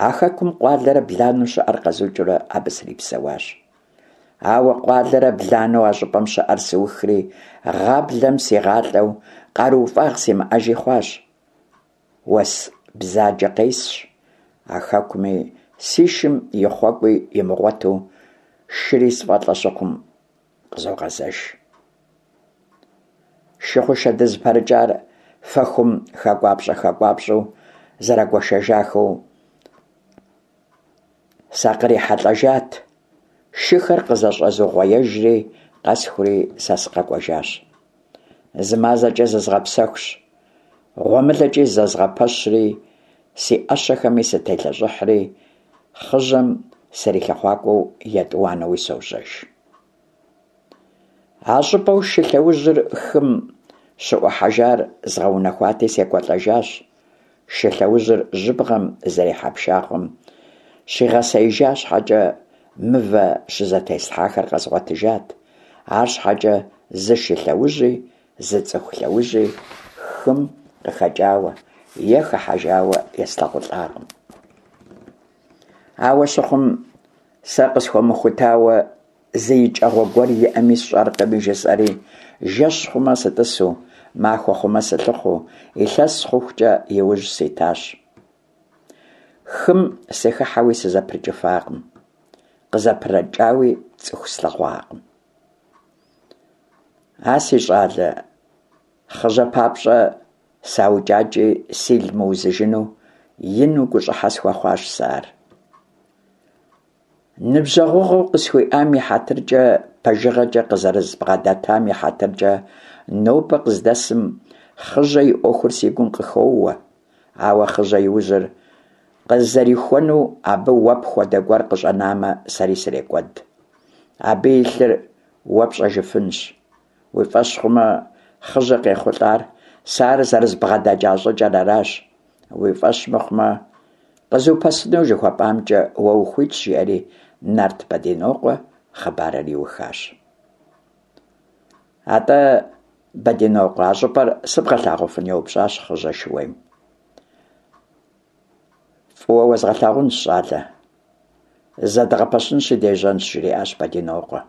А хэкум къуалэрэ бланэу щыӏэр къэзукӏыурэ абы срипсэуащ. Ауэ къуалэрэ бланэу а щӏыпӏэм щыӏэр сыухри, гъаблэм сигъалӏэу къарууфӏагъ симыӏэжи хъуащ. Уэс бзаджэ къесщ, а хэкуми си шым и хъуэкӏуи имыгъуэту, шыри сфӏэлӏэ щыхъум, къызогъэзэж. Шы хъушэ дызыпэрыкӏар фэхум хэкӏуапщӏэ-хэкӏуапщӏэу зэрагуэшэжахэу сакърихьэлӏэжат, шыхэр къызэщӏэзугъуеежри, къэсхури сэ сыкъэкӏуэжащ. Зы мазэкӏэ зызгъэпсэхущ, гъуэмылэкӏи зэзгъэпэщри, си ӏэщэхэми сытелъэщӏыхьри, Хъыжьэм срилъыхъуакӏуэу етӏуанэуи сожьэж. А щӏыпӏэу шы лъэужьыр хым щыӏухьэжар згъэунэхуати, секӏуэлӏэжащ. Шы лъэужьыр жьыбгъэм зэрихьэ пшахъуэм Щигъэсеижа щхьэкӏэ, мывэ щызэтеслъхьахэр къэзгъуэтыжат, арщхьэкӏэ зы шы лъэужьи, зы цӏыху лъэужьи хым къыхэкӏауэ е хыхьэжауэ еслъагъулӏакъым. Ауэ щыхъум, сэ къысхуэмыхутауэ зы икӏэгъуэ гуэр иӏэми сщӏэркъыми жысӏэри, жэщ хъумэ сытӏысу, махуэ хъумэ сылъыхъуу, илъэс хъухукӏэ иужь ситащ. Хым сыхыхьэуи сызэпрыкӏыфакъым, къызэпрыкӏауи цӏыху слъэгъуакъым. А си щӏалэ, Хъыжьэ папщӏэ саукӏакӏи сил мыузыжыну ину гущӏыхьэ схуэхъуащ сэ ар. Ныбжьэгъугъэу къысхуиӏам и хьэтыркӏэ, пэжыгъэкӏэ къызэрызбгъэдэтам и хьэтыркӏэ нобэ къыздэсым Хъыжьэ и ӏуэхур си гум къыхоуэ. Ауэ Хъыжьэ и ужьыр къызэрихуэну абы уэ пхуэдэ гуэр къыщӏэнамэ, сэри срекӏуэд. Абы и лъыр уэ пщӏэжыфынщ. Уи фӏэщ хъумэ, Хъыжьэ къехъулӏар сэ ар зэрызбгъэдэкӏа щӏыкӏэр аращ. Уи фӏэщ мыхъумэ, къызупэсыну жыхуэпӏамкӏэ уэ ухуитщ, жиӏэри Нарт Бэдинокъуэ хъыбарыр иухащ. Атӏэ, Бэдинокъуэ, а щӏыпӏэр сыбгъэлъагъуфын? еупщӏащ Хъыжьэ шууейм. Фӏыуэ уэзгъэлъагъунщ, щӏалэ. Зэдгъэпэщынщи дежьэнщ, жриӏащ Бэдинокъуэ.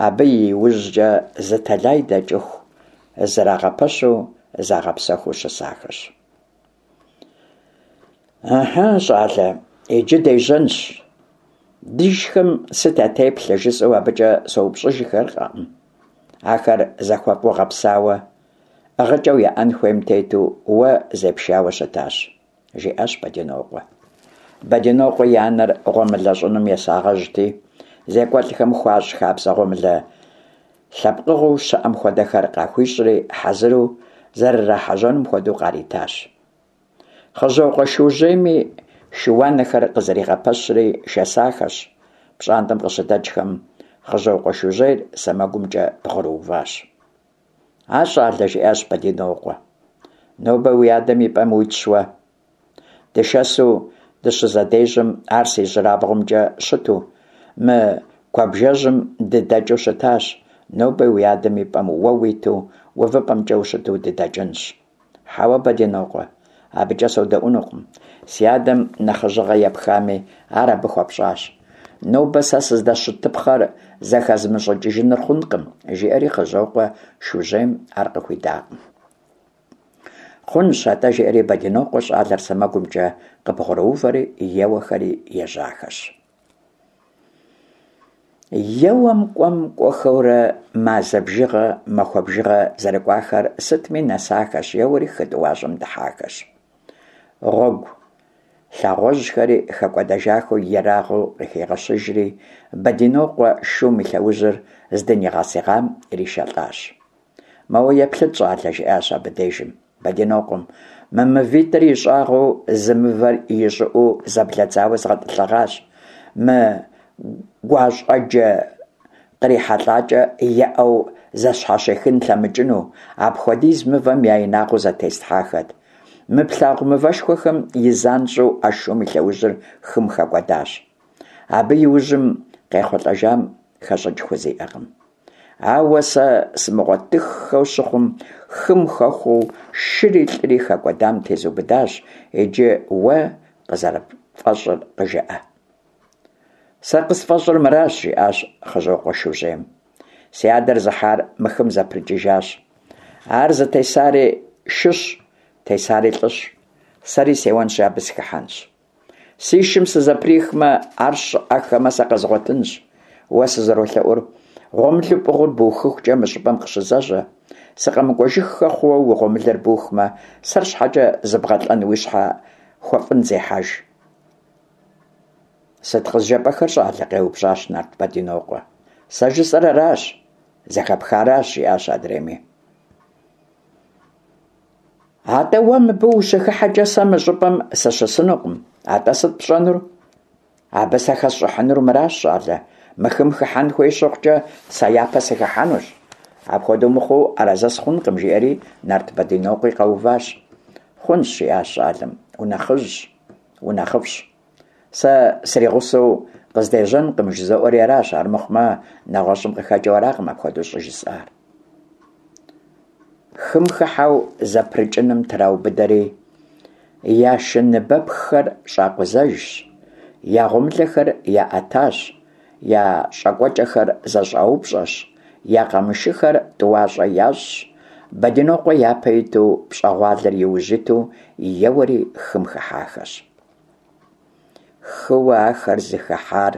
Абы и ужькӏэ зы тэлай дэкӏыху зэрагъэпэщу загъэпсэхуу щысахэщ. Ыхьы, щӏалэ, иджы дежьэнщ. Дишхэм сыт я теплъэ, жысӏэу абыкӏэ соупщӏыжыххэркъым. Ахэр зэхуэфӏу гъэпсауэ, ӏыгъыкӏэу яӏэн хуейм тету уэ зепшауэ щытащ. Жиӏащ Бэдинокъуэ. Бэдинокъуэ и анэр гъуэмылэ щӏыным есагъэжьти, зекӏуэлӏхэм хуащӏ хабзэ гъуэмылэ лъэпкъыгъуэу щыӏэм хуэдэхэр къахуищӏри, хьэзыру зэрырахьэжьэнум хуэдэу къаритащ. Хъыжьокъуэ Шужьейми шы-уанэхэр къызэригъэпэщри шэсахэщ. Пщӏантӏэм къыщыдэкӏхэм Хъыжьокъуэ Шужьейр сэмэгумкӏэ бгъурыуващ. А щӏалэ, жиӏащ Бэдинокъуэ, нобэ уи адэм и пӏэм уитщ уэ. Дышэсу дыщызэдежьэм, ар си ижьырабгъумкӏэ щыту, мы куэбжэжьым дыдэкӏыу щытащ, нобэ уи адэм и пӏэм уэ уиту, увыпӏэмкӏэ ущыту дыдэкӏынщ. Хьэуэ, Бэдинокъуэ, абыкӏэ содэӏунукъым. Си адэм нэхъыжьыгъэ епхами, ар абы хуэпщӏащ. Нобэ сэ сыздэщытыпхъэр зэхэзмыщӏыкӏыжыныр хъункъым, жиӏэри Хъыжьокъуэ Шужьейм ар къыхуидакъым. Хъунщ, атӏэ, жиӏэри Бэдинокъуэ щӏалэр сэмэгумкӏэ къыбгъурыувэри еуэхэри ежьахэщ. Еуэм кӏуэм кӏуэхэурэ мазэ бжыгъэ, махуэ бжыгъэ зэрыкӏуахэр сытми нэсахэщ, еуэри хы тӏуащӏэм дыхьахэщ. Гъуэгу лъагъуэжьхэри хэкӏуэдэжахэу ерагъыу къыхигъэщыжри, Бэдинокъуэ шум и лъэужьыр здынигъэсыгъам иришэлӏащ. Моуэ еплъыт, щӏалэ, жиӏащ абы дежым Бэдинокъуэм, мы мывитӏыр и щӏагъыу зы мывэр и щӏыӏуу зэблэдзауэ згъэтӏылъыгъащ. Мы гуащӏэджэ кърихьэлӏакӏэ еӏэу зэщхьэщихын лъэмыкӏыну, апхуэдиз мывэм я инагъыу зэтеслъхьахэт. Мы плъагъу мывэшхуэхэм и занщӏэу а шум и лъэужьыр хым хэкӏуэдащ. Абы и ужьым къехъулӏэжам хэщӏыкӏ хузиӏэкъым. Ауэ сэ сымыгъуэтыххэу щыхъум, хым хэхуэу шыри лӏыри хэкӏуэдам тезубыдащ, иджы уэ къызэрыпфӏэщӏыр къыжыӏэ. Сэ къысфӏэщӏыр мыращ, жиӏащ Хъыжьокъуэ Шужьейм. Си адэр зыхьар мы хым зэпрыкӏыжащ. Ар зытесари шыщ, тесари лӏыщ. Сэри сеуэнщи абы сыхыхьэнщ. Си шым сызэприхмэ, ар щыӏэххэмэ, сэ къэзгъуэтынщ. Уэ сызэролъэӏур, гъуэмылэу пӏыгъыр бухыхукӏэ мы щӏыпӏэм къыщызэжьэ. Сыкъэмыкӏуэжыххэ хъууэ уи гъуэмылэр бухмэ, сэр щхьэкӏэ зыбгъэлӏэн уи щхьэ хуэфӏын зехьэж. Сыт къызжепӏэхэр, щӏалэ? къеупщӏащ нарт Бэдинокъуэ. Сэ жысӏэр аращ, зэхэпхаращ, жиӏащ адрейми. Атӏэ уэ мыбы ущыхыхьэкӏэ сэ мы щӏыпӏэм сыщысынукъым. Атӏэ сыт пщӏэнур? Абы сэ хэсщӏыхьынур мыращ, щӏалэ. Мы хым хыхьэн хуей щыхъукӏэ, сэ япэ сыхыхьэнущ. Апхуэдэу мыхъуу арэзы сыхъункъым, жиӏэри нарт Бэдинокъуи къэуващ. Хъунщ, жиӏащ щӏалэм, унэхъыжьщ, унэхъыфӏщ. Сэ сригъусэу къыздежьэнкъым жызоӏэри аращ, армыхъумэ нэгъуэщӏым къыхэкӏыу аракъым апхуэдэу щӏыжысӏар. Хым хыхьэу зэпрыкӏыным траубыдэри, я шы ныбэпххэр щӏакъузэжщ, я гъуэмылэхэр яӏэтащ, я щӏакӏуэкӏэхэр зэщӏаупщӏэщ, я къамышыхэр тӏуащӏэ ящӏщ, Бэдинокъуэ япэ иту, пщӏэгъуалэр иужь иту еуэри хым хыхьахэщ. Хыуэ ахэр зыхыхьар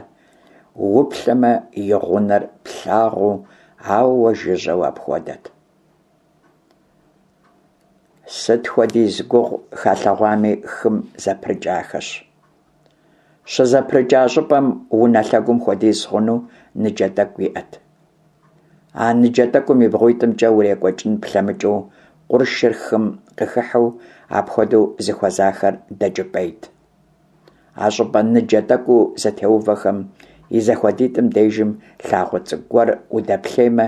уплъэмэ и гъунэр плъагъуу, ауэ жыжьэу апхуэдэт. Сыт хуэдиз гугъу халъэгъуами, хым зэпрыкӏахэщ. Щызэпрыкӏа щӏыпӏэм унэ лъэгум хуэдиз хъуну ныджэ тӏэкӏу иӏэт. А ныджэ тӏэкӏум и бгъуитӏымкӏэ урекӏуэкӏын плъэмыкӏыу къуршыр хым къыхыхьэу апхуэдэу зыхуэзахэр дэкӏыпӏейт. А щӏыпӏэ ныджэ тӏэкӏуу зэтеувэхэм и зэхуэдитӏым дежым лъагъуэ цӏыкӏу гуэр удэплъеймэ,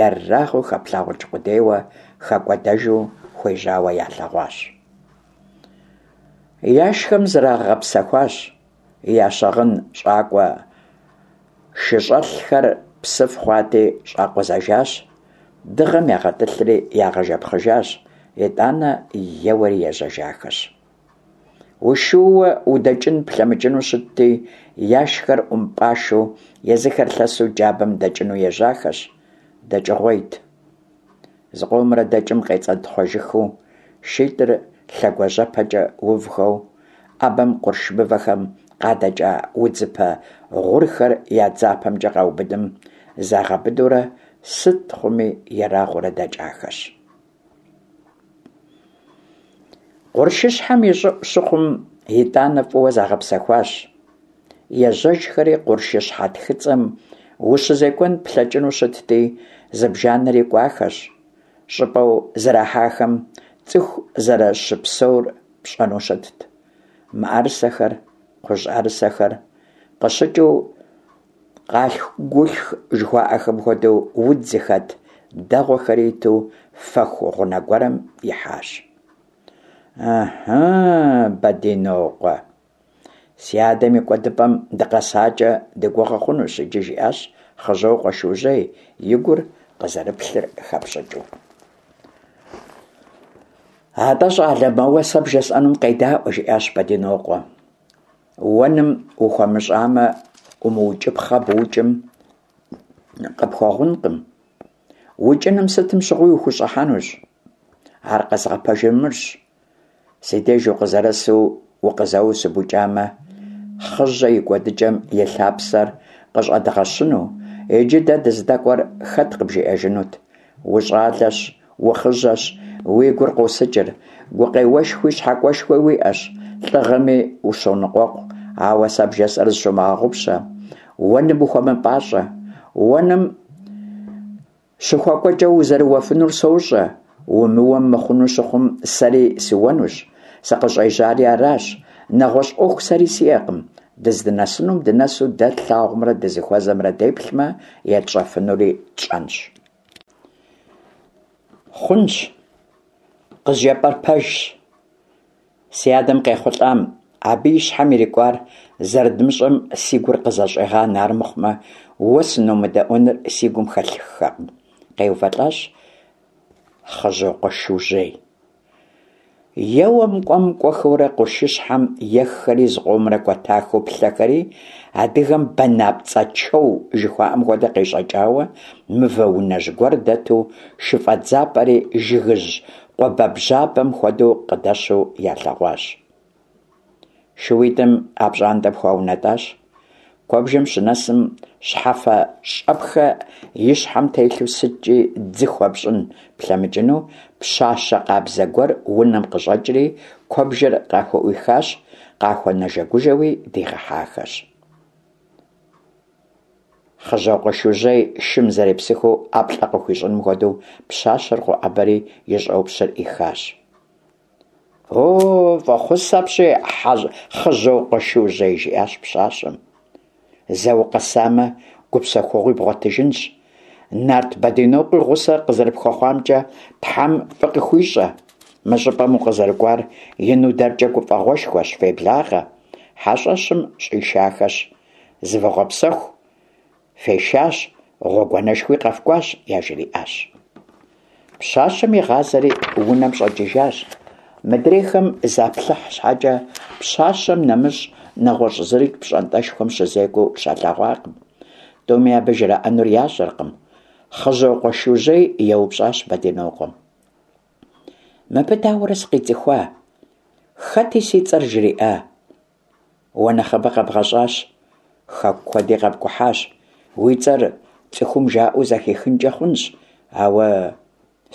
ерагъыу хэплъагъукӏ къудейуэ хэкӏуэдэжу хуежьауэ ялъэгъуащ. Яшхэм зрагъэпсэхуащ, я щыгъын щӏакӏуэ шыщӏэлъхэр псыф хъуати, щӏакъузэжащ, дыгъэм ягъэтӏылъри ягъэжэпхъыжащ, итӏанэ еуэри ежьэжахэщ. Ушууэ удэкӏын плъэмыкӏыну щытти, яшхэр ӏумпӏашэу, езыхэр лъэсу джабэм дэкӏыну ежьахэщ. Дэкӏыгъуейт. Зыкъомрэ дэкӏым къецӏэнтхъуэжыхыу, шитӏыр лъэгуажьэпэкӏэ увхэу, ӏэбэм къурш мывэхэм къадэкӏа удзыпэ гъурхэр я дзапэмкӏэ къаубыдым загъэбыдэурэ сыт хъуми ерагъыурэ дэкӏахэщ. Къуршыщхьэм и щӏыӏу щыхъум, итӏанэ фӏыуэ загъэпсэхуащ. Ежьэжхэри къуршыщхьэ тхыцӏэм ущызекӏуэн плъэкӏыну щытти, зыбжанэри кӏуахэщ. Щӏыпӏэу зэрахьахэм цӏыху зэрыщыпсэур пщӏэну щытт. Мыӏэрысэхэр, кхъужьӏэрысэхэр къыщыкӏыу къалъху-гулъху жыхуаӏэхэм хуэдэу удз зыхэт дэгъуэхэри иту фэху гъунэ гуэрым ихьащ. Ыхьы, Бэдинокъуэ, си адэм и кӏуэдыпӏэм дыкъэсакӏэ дыгугъэ хъунущ иджы, жиӏащ Хъыжьокъуэ Шужьей, и гур къызэрыплъыр хэпщӏыкӏыу. Атӏэ, щӏалэ, моуэ сэ бжесӏэнум къедаӏуэ, жиӏащ Бэдинокъуэ. Уэным ухуэмыщӏамэ, умыукӏыпхъэ быукӏым къыпхуэгъункъым. Укӏыным сытым щыгъуи ухущӏыхьэнущ. Ар къэзгъэпэжыр мырщ. Си деж укъызэрысу укъызэуэу сыбукӏамэ, Хъыжьэ и кӏуэдыкӏэм и лъапсэр къыщӏэдгъэщыну, иджы дэ дыздэкӏуэр хэт къыбжиӏэжынут? Ущӏалэщ, ухъыжьэщ, уи гур къосыкӏыр, гукъеуэшхуи щхьэкӏуэшхуи уиӏэщ, лӏыгъэми ущоныкъуэкъу, ауэ сэ бжесӏэр зыщумыгъэгъупщэ, уэным ухуэмыпӏащӏэ. Уэным щыхуэкӏуэкӏэ узэрыуэфынур сощӏэ, умыуэм мыхъуну щыхъум, сэри сыуэнущ, сыкъыщӏежьари аращ, нэгъуэщӏ ӏуэху сэри сиӏэкъым, дыздынэсынум дынэсу дэ тлъагъумрэ дызыхуэзэмрэ деплъмэ, етщӏэфынури тщӏэнщ. Хъунщ, къызжепӏэр пэжщ. Си адэм къехъулӏам, абы и щхьэм ирикӏуар зэрыдмыщӏэм си гур къызэщӏегъанэ армыхъумэ, уэ сыномыдэӏуэныр си гум хэлъыххэкъым, къеувэлӏащ Хъыжьокъуэ Шужьей. Еуэм кӏуэм кӏуэхэурэ къуршыщхьэм еххэри зыкъомрэ кӏуэтахэу плъэхэри, адыгэм банапцӏэ чэу жыхуаӏэм хуэдэ къещӏэкӏауэ, мывэ унэжь гуэр дэту, шыфӏэдзапӏэри жыгыжь къуабэбжьабэм хуэдэу къыдэщу ялъэгъуащ. Шууитӏым а пщӏантӏэм хуаунэтӏащ. Куэбжэм щынэсым, щхьэфэ щӏэпхэ и щхьэм телъу сыткӏи дзы хуэпщӏын плъэмыкӏыну пщащэ къабзэ гуэр унэм къыщӏэкӏри, куэбжэр къахуӏуихащ, къахуэнэжэгужэуи дигъэхьахэщ. Хъыжьокъуэ Шужьей шым зэрепсыхыу ӏэплӏэ къыхуищӏыным хуэдэу пщащэр къоӏэбэри и щӏопщыр ӏихащ. О, фӏэхъус апщий, Хъыжьокъуэ Шужьей, жиӏащ пщащэм. Зэ укъэсамэ, гупсэхугъуи бгъуэтыжынщ. Нарт Бэдинокъуи гъусэ къызэрыпхуэхъуамкӏэ Тхьэм фӏы къыхуищӏэ. Мы щӏыпӏэм укъызэрыкӏуар ину дэркӏэ гуфӏэгъуэшхуэщ, феблагъэ. хьэщӏэщым щӏишахэщ, зывгъэпсэху, фешащ, гъуэгуанэшхуи къэфкӏуащ, яжриӏащ. Пщащэм игъазэри унэм щӏэкӏыжащ. Мыдрейхэм заплъыхь щхьэкӏэ, пщащэм нэмыщӏ нэгъуэщӏ зырикӏ пщӏантӏэшхуэм щызекӏуэу щалъэгъуакъым. Тӏуми абы жраӏэнур ящӏэркъым. Хъыжьокъуэ Шужьей еупщӏащ Бэдинокъуэм. Мыбы дауэрэ сыкъицӏыхуа? Хэти си цӏэр жриӏа? Уэ нэхъыбэ къэбгъэщӏащ, хэку куэди къэпкӏухьащ, уи цӏэр цӏыхум жаӏэу зэхихынкӏэ хъунщ, ауэ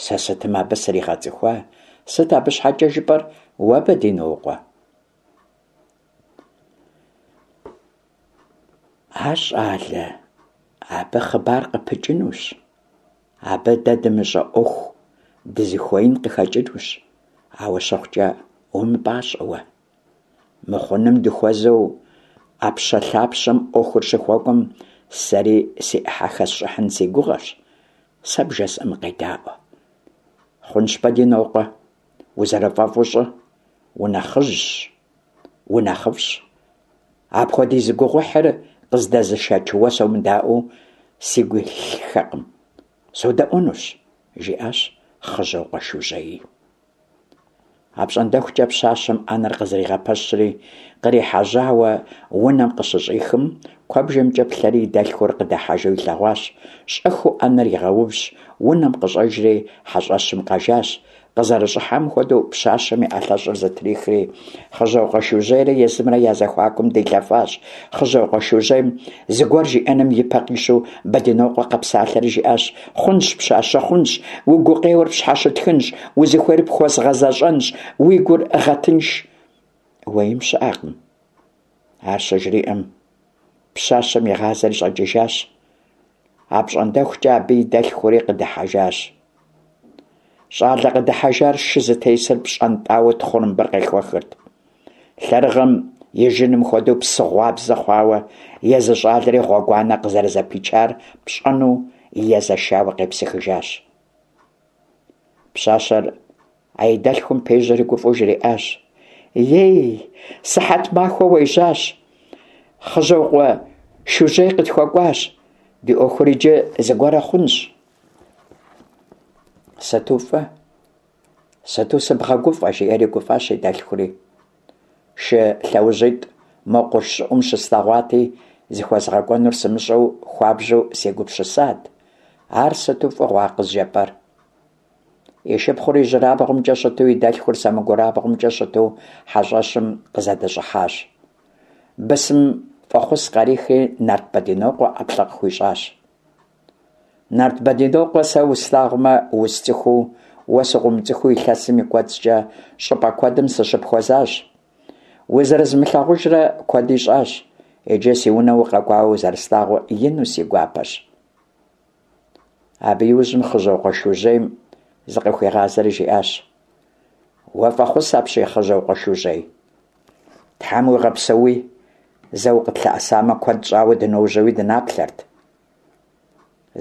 сэ сытым абы сригъэцӏыхуа? Сыт абы щхьэкӏэ жыпӏэр уэ, Бэдинокъуэ? А щӏалэ, абы хъыбар къыпыкӏынущ. Абы дэ дымыщӏэ ӏуэху дызыхуеин къыхэкӏынущ, ауэ щыхъукӏэ умыпӏащӏэ уэ. Мыхъуным дыхуэзэу ӏэпщэ-лъапщэм ӏуэхур щыхуэкӏуэм сэри си ӏыхьэ хэсщӏыхьын си гугъэщ, сэ бжесӏэм къедаӏуэ. Хъунщ, Бэдинокъуэ, узэрыфӏэфӏу щӏы, унэхъыжьщ, унэхъыфӏщ. Апхуэдиз гугъуехьыр къыздэзышэч уэ сомыдаӏуэу сигу илъыххэкъым. Содэӏуэнущ, жиӏащ Хъыжьокъуэ Шужьеи. Апщӏондэхукӏэ пщащэм ӏэнэр къызэригъэпэщри, кърихьэжьауэ унэм къыщыщӏихым, куэбжэмкӏэ плъэри и дэлъхур къыдыхьэжу илъэгъуащ. Щӏэхыу ӏэнэр игъэувщ, унэм къыщӏэжри хьэщӏэщым къэжащ. Къызэрыщӏыхьам хуэдэу пщащэм и ӏэлъэщӏыр зытрихри, Хъыжьокъуэ Шужьейрэ езымрэ я зэхуакум дилъэфащ. Хъыжьокъуэ Шужьейм зыгуэр жиӏэным и пэ къищу Бэдинокъуэ къэпсалъэри жиӏащ, Хъунщ, пщащэ, хъунщ, уи гукъеуэр пщхьэщытхынщ, узыхуейр пхуэзгъэзэщӏэнщ, уи гур гъэтынш. Уеим щыӏэкъым. Ар щыжриӏэм, пщащэм игъазэри щӏэкӏыжащ. Апщӏондэхукӏэ абы и дэлъхури къыдыхьэжащ. Щӏалэ къыдыхьэжар шы зытесыр пщӏэнтӏауэ тхъурымбэр къехуэхырт. Лъэрыгъэм и жыным хуэдэу псыгъуабзэ хъуауэ, езы щӏалэри гъуэгуанэ къызэрызэпичар пщӏэну езэшауэ къепсыхыжащ. Пщащэр а и дэлъхум пежьэри гуфӏэу жриӏащ: Ей, сыхьэт махуэ уежьащ, Хъыжьокъуэ Шужьей къытхуэкӏуащ, ди ӏуэхур иджы зыгуэрэ хъунщ. Сыту фӏы, сыту сыбгъэгуфӏэ, жиӏэри гуфӏащ и дэлъхури. Шы лъэужьитӏ мо къурш щӏыӏум щыслъэгъуати, зыхуэзгъэкӏуэнур сымыщӏэу хуабжьу сегупсысат. Ар сыту фӏыгъуэ а къызжепӏэр. И шыпхъур ижьырабгъумкӏэ щыту, и дэлъхур сэмэгурабгъумкӏэ щыту хьэщӏэщым къызэдыщӏыхьащ. Бысым фӏэхъус къарихри Нарт Бэдинокъуэ ӏэплӏэ къыхуищӏащ. Нарт Бэдинокъуэ, сэ услъагъумэ, усцӏыхуу, уэ сыкъыумыцӏыхуу илъэсым и кӏуэцӏкӏэ щӏыпӏэ куэдым сыщыпхуэзащ. Узэрызмылъагъужрэ куэди щӏащ, иджы си унэ укъэкӏуауэ узэрыслъагъуу ину си гуапэщ. Абы иужьым Хъыжьокъуэ Шужьейм зыкъыхуигъазэри жиӏащ: Уэ фӏэхъус апщий, Хъыжьокъуэ Шужьей. Тхьэм уигъэпсэуи, зэ укъытлъэӏэсамэ, куэд щӏауэ дыножьэуи дынаплъэрт.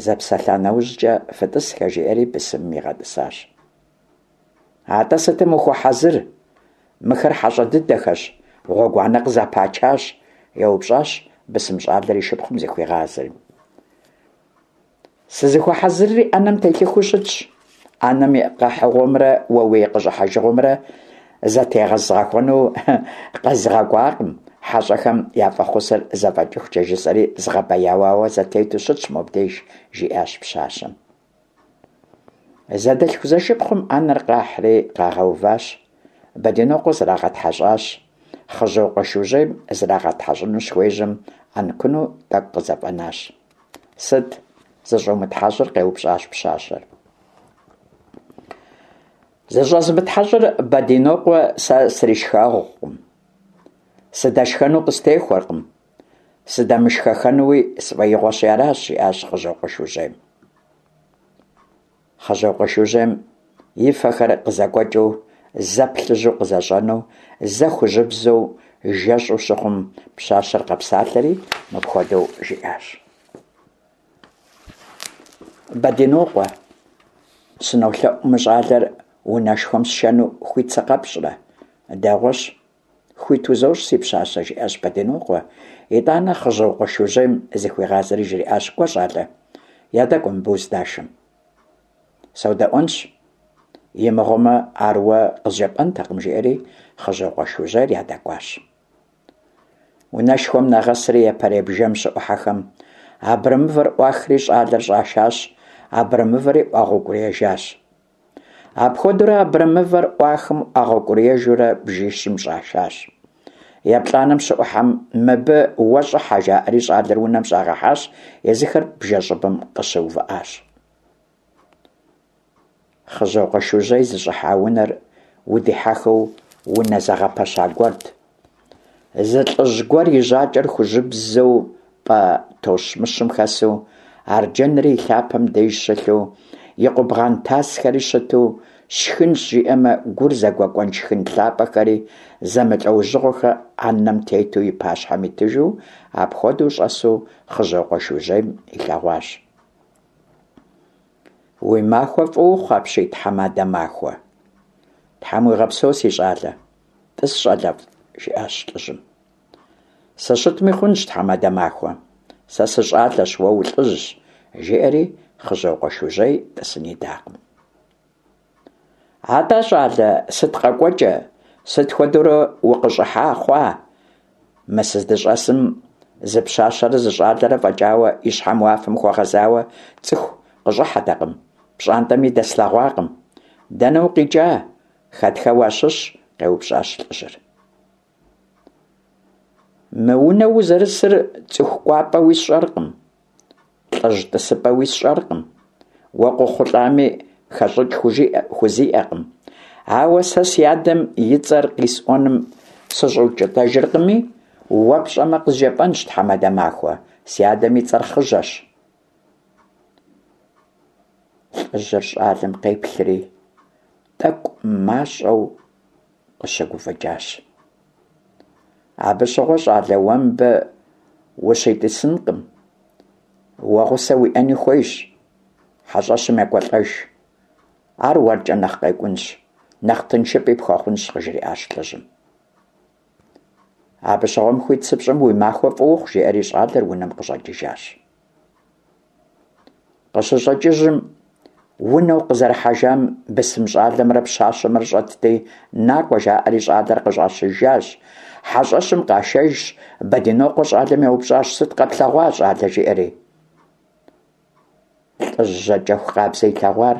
Зэпсэлъа нэужькӏэ фытӏысхэ, жиӏэри бысымым игъэтӏысащ. Атӏэ сытым ухуэхьэзыр? Мыхэр хьэщӏэ дыдэхэщ, гъуэгуанэ къызэпачащ, еупщӏащ бысым щӏалэр и шыпхъум зыхуигъазэри. Сызыхуэхьэзырри ӏэнэм телъыхыу щытщ. ӏэнэм и къэхьыгъуэмрэ уэ уи къыщӏыхьэжыгъуэмрэ зэтегъэзгъэхуэну къэзгъэкӏуакъым, хьэщӏэхэм я фӏэхъусыр зэфӏэкӏыхукӏэ жысӏэри згъэбэяуауэ зэтету щытщ мобдеж, жиӏащ пщащэм. Зэдэлъху-зэшыпхъум ӏэнэр къахьри къагъэуващ, Бэдинокъуэ зрагъэтхьэщӏащ, Хъыжьокъуэ Шужьейм зрагъэтхьэщӏыну щыхуежьэм ӏэнкуну тӏэкӏу къызэфӏэнащ. Сыт зыщӏумытхьэщӏыр? къеупщӏащ пщащэр. Зыщӏэзмытхьэщӏыр Бэдинокъуэ сэ сришхэгъукъым, сыдэшхэну къыстехуэркъым, сыдэмышхэхэнуи сфӏэигъуэщи аращ, жиӏащ Хъыжьокъуэ Шужьейм. Хъыжьокъуэ Шужьейм и фэхэр къызэкӏуэкӏыу, зэ плъыжьу къызэщӏэнэу, зэ хужьыбзэу жэщӏу щыхъум, пщащэр къэпсалъэри мыпхуэдэу жиӏащ. Бэдинокъуэ, сынолъэӏу мы щӏалэр унэшхуэм сшэну хуит сыкъэпщӏрэ? Дэгъуэщ. Хуит узощӏ, си пщащэ, жиӏащ Бэдинокъуэ. Итӏанэ Хъыжьокъуэ Шужьейм зыхуигъазэри жриӏащ, Кӏуэ, щӏалэ, ядэкӏуэ мыбы уздашэм. Содэӏуэнщ. Имыгъуэмэ, ар уэ къызжепӏэнтэкъым, жиӏэри Хъыжьокъуэ Шужьейр ядэкӏуащ. Унэшхуэм нагъэсри япэрей бжэм щыӏухьэхэм, абрэмывэр ӏуахри щӏалэр щӏашащ, абрэмывэри ӏуагъэукӏуриежащ. Апхуэдэурэ абрэмывэр ӏуахым ӏуагъэукӏуриежурэ бжищым щӏашащ. Еплӏанэм щыӏухьэм, мыбы уэ щӏыхьэ, жаӏэри щӏалэр унэм щӏагъэхьащ, езыхэр бжэ щӏыбым къыщыувыӏащ. Хъыжьокъуэ Шужьей зыщӏыхьа унэр удихьэхыу унэ зэгъэпэща гуэрт. Зы лӏыжь гуэр и жьакӏэр хужьыбзэу пӏэ тощмыщым хэсу, арджэнри и лъапэм деж щылъу, и къубгъан тасхэри щыту, сшхынщ жиӏэмэ, гур зэгуэкӏуэн шхын лъапӏэхэри зэмылӏэужьыгъуэхэр ӏэнэм тету и пащхьэм итыжу, апхуэдэу щӏэсу Хъыжьокъуэ Шужьейм илъэгъуащ. Уи махуэ фӏы ухъу апщий, тхьэмадэ махуэ. Тхьэм уигъэпсэу, си щӏалэ. Тӏыс, щӏалэфӏ, жиӏащ лӏыжьым. Сыщытми хъунщ, тхьэмадэ махуэ. Сэ сыщӏалэщ, уэ улӏыжьщ, жиӏэри Хъыжьокъуэ Шужьей тӏысын идакъым. Атӏэ, щӏалэ, сыт къэкӏуэкӏэ, сыт хуэдэурэ укъыщӏыхьа хъуа? Мы сыздыщӏэсым зы пщащэрэ зы щӏалэрэ фӏэкӏауэ и щхьэм уафэм хуэгъэзауэ цӏыху къыщӏыхьэтэкъым, пщӏантӏэми дэслъэгъуакъым. Дэнэ укъикӏа? Хэтхэ уащыщ? къеупщӏащ лӏыжьыр. Мы унэ узэрысыр цӏыху кӏуапӏэуи сщӏэркъым. Лӏыжь тӏысыпӏэуи сщӏэркъым. Уэ къохъулӏами хэщӏыкӏ хузиӏэкъым. Ауэ сэ си адэм и цӏэр къисӏуэным сыщӏэукӏытэжыркъыми, уэ пщӏэмэ къызжепӏэнщ, тхьэмадэ махуэ, си адэм и цӏэр Хъыжьэщ. Лӏыжьыр щӏалэм къеплъри, тӏэкӏу мащӏэу къыщыгуфӏыкӏащ. Абы щыгъуэ щӏалэ уэ мыбы ущитӏысынкъым. Уэ гъусэ уиӏэни хуейщ, хьэщӏэщым екӏуэлӏэж. Ар уэркӏэ нэхъ къекӏунщ, нэхъ тыншыпӏи пхуэхъунщ, къыжриӏащ лӏыжьым. Абы щыгъуэм хуит сыпщӏым уи махуэ фӏы ухъу, жиӏэри щӏалэр унэм къыщӏэкӏыжащ. Къыщыщӏэкӏыжым, унэу къызэрыхьэжам бысым щӏалэмрэ пщащэмрэ щӏэтти, накӏуэ жаӏэри щӏалэр къыщӏащыжащ. Хьэщӏэщым къашэжщ, Бэдинокъуэ щӏалэм еупщӏащ, сыт къэплъэгъуа, щӏалэ, жиӏэри. Лӏыжь жьакӏэху къабзэ илъэгъуар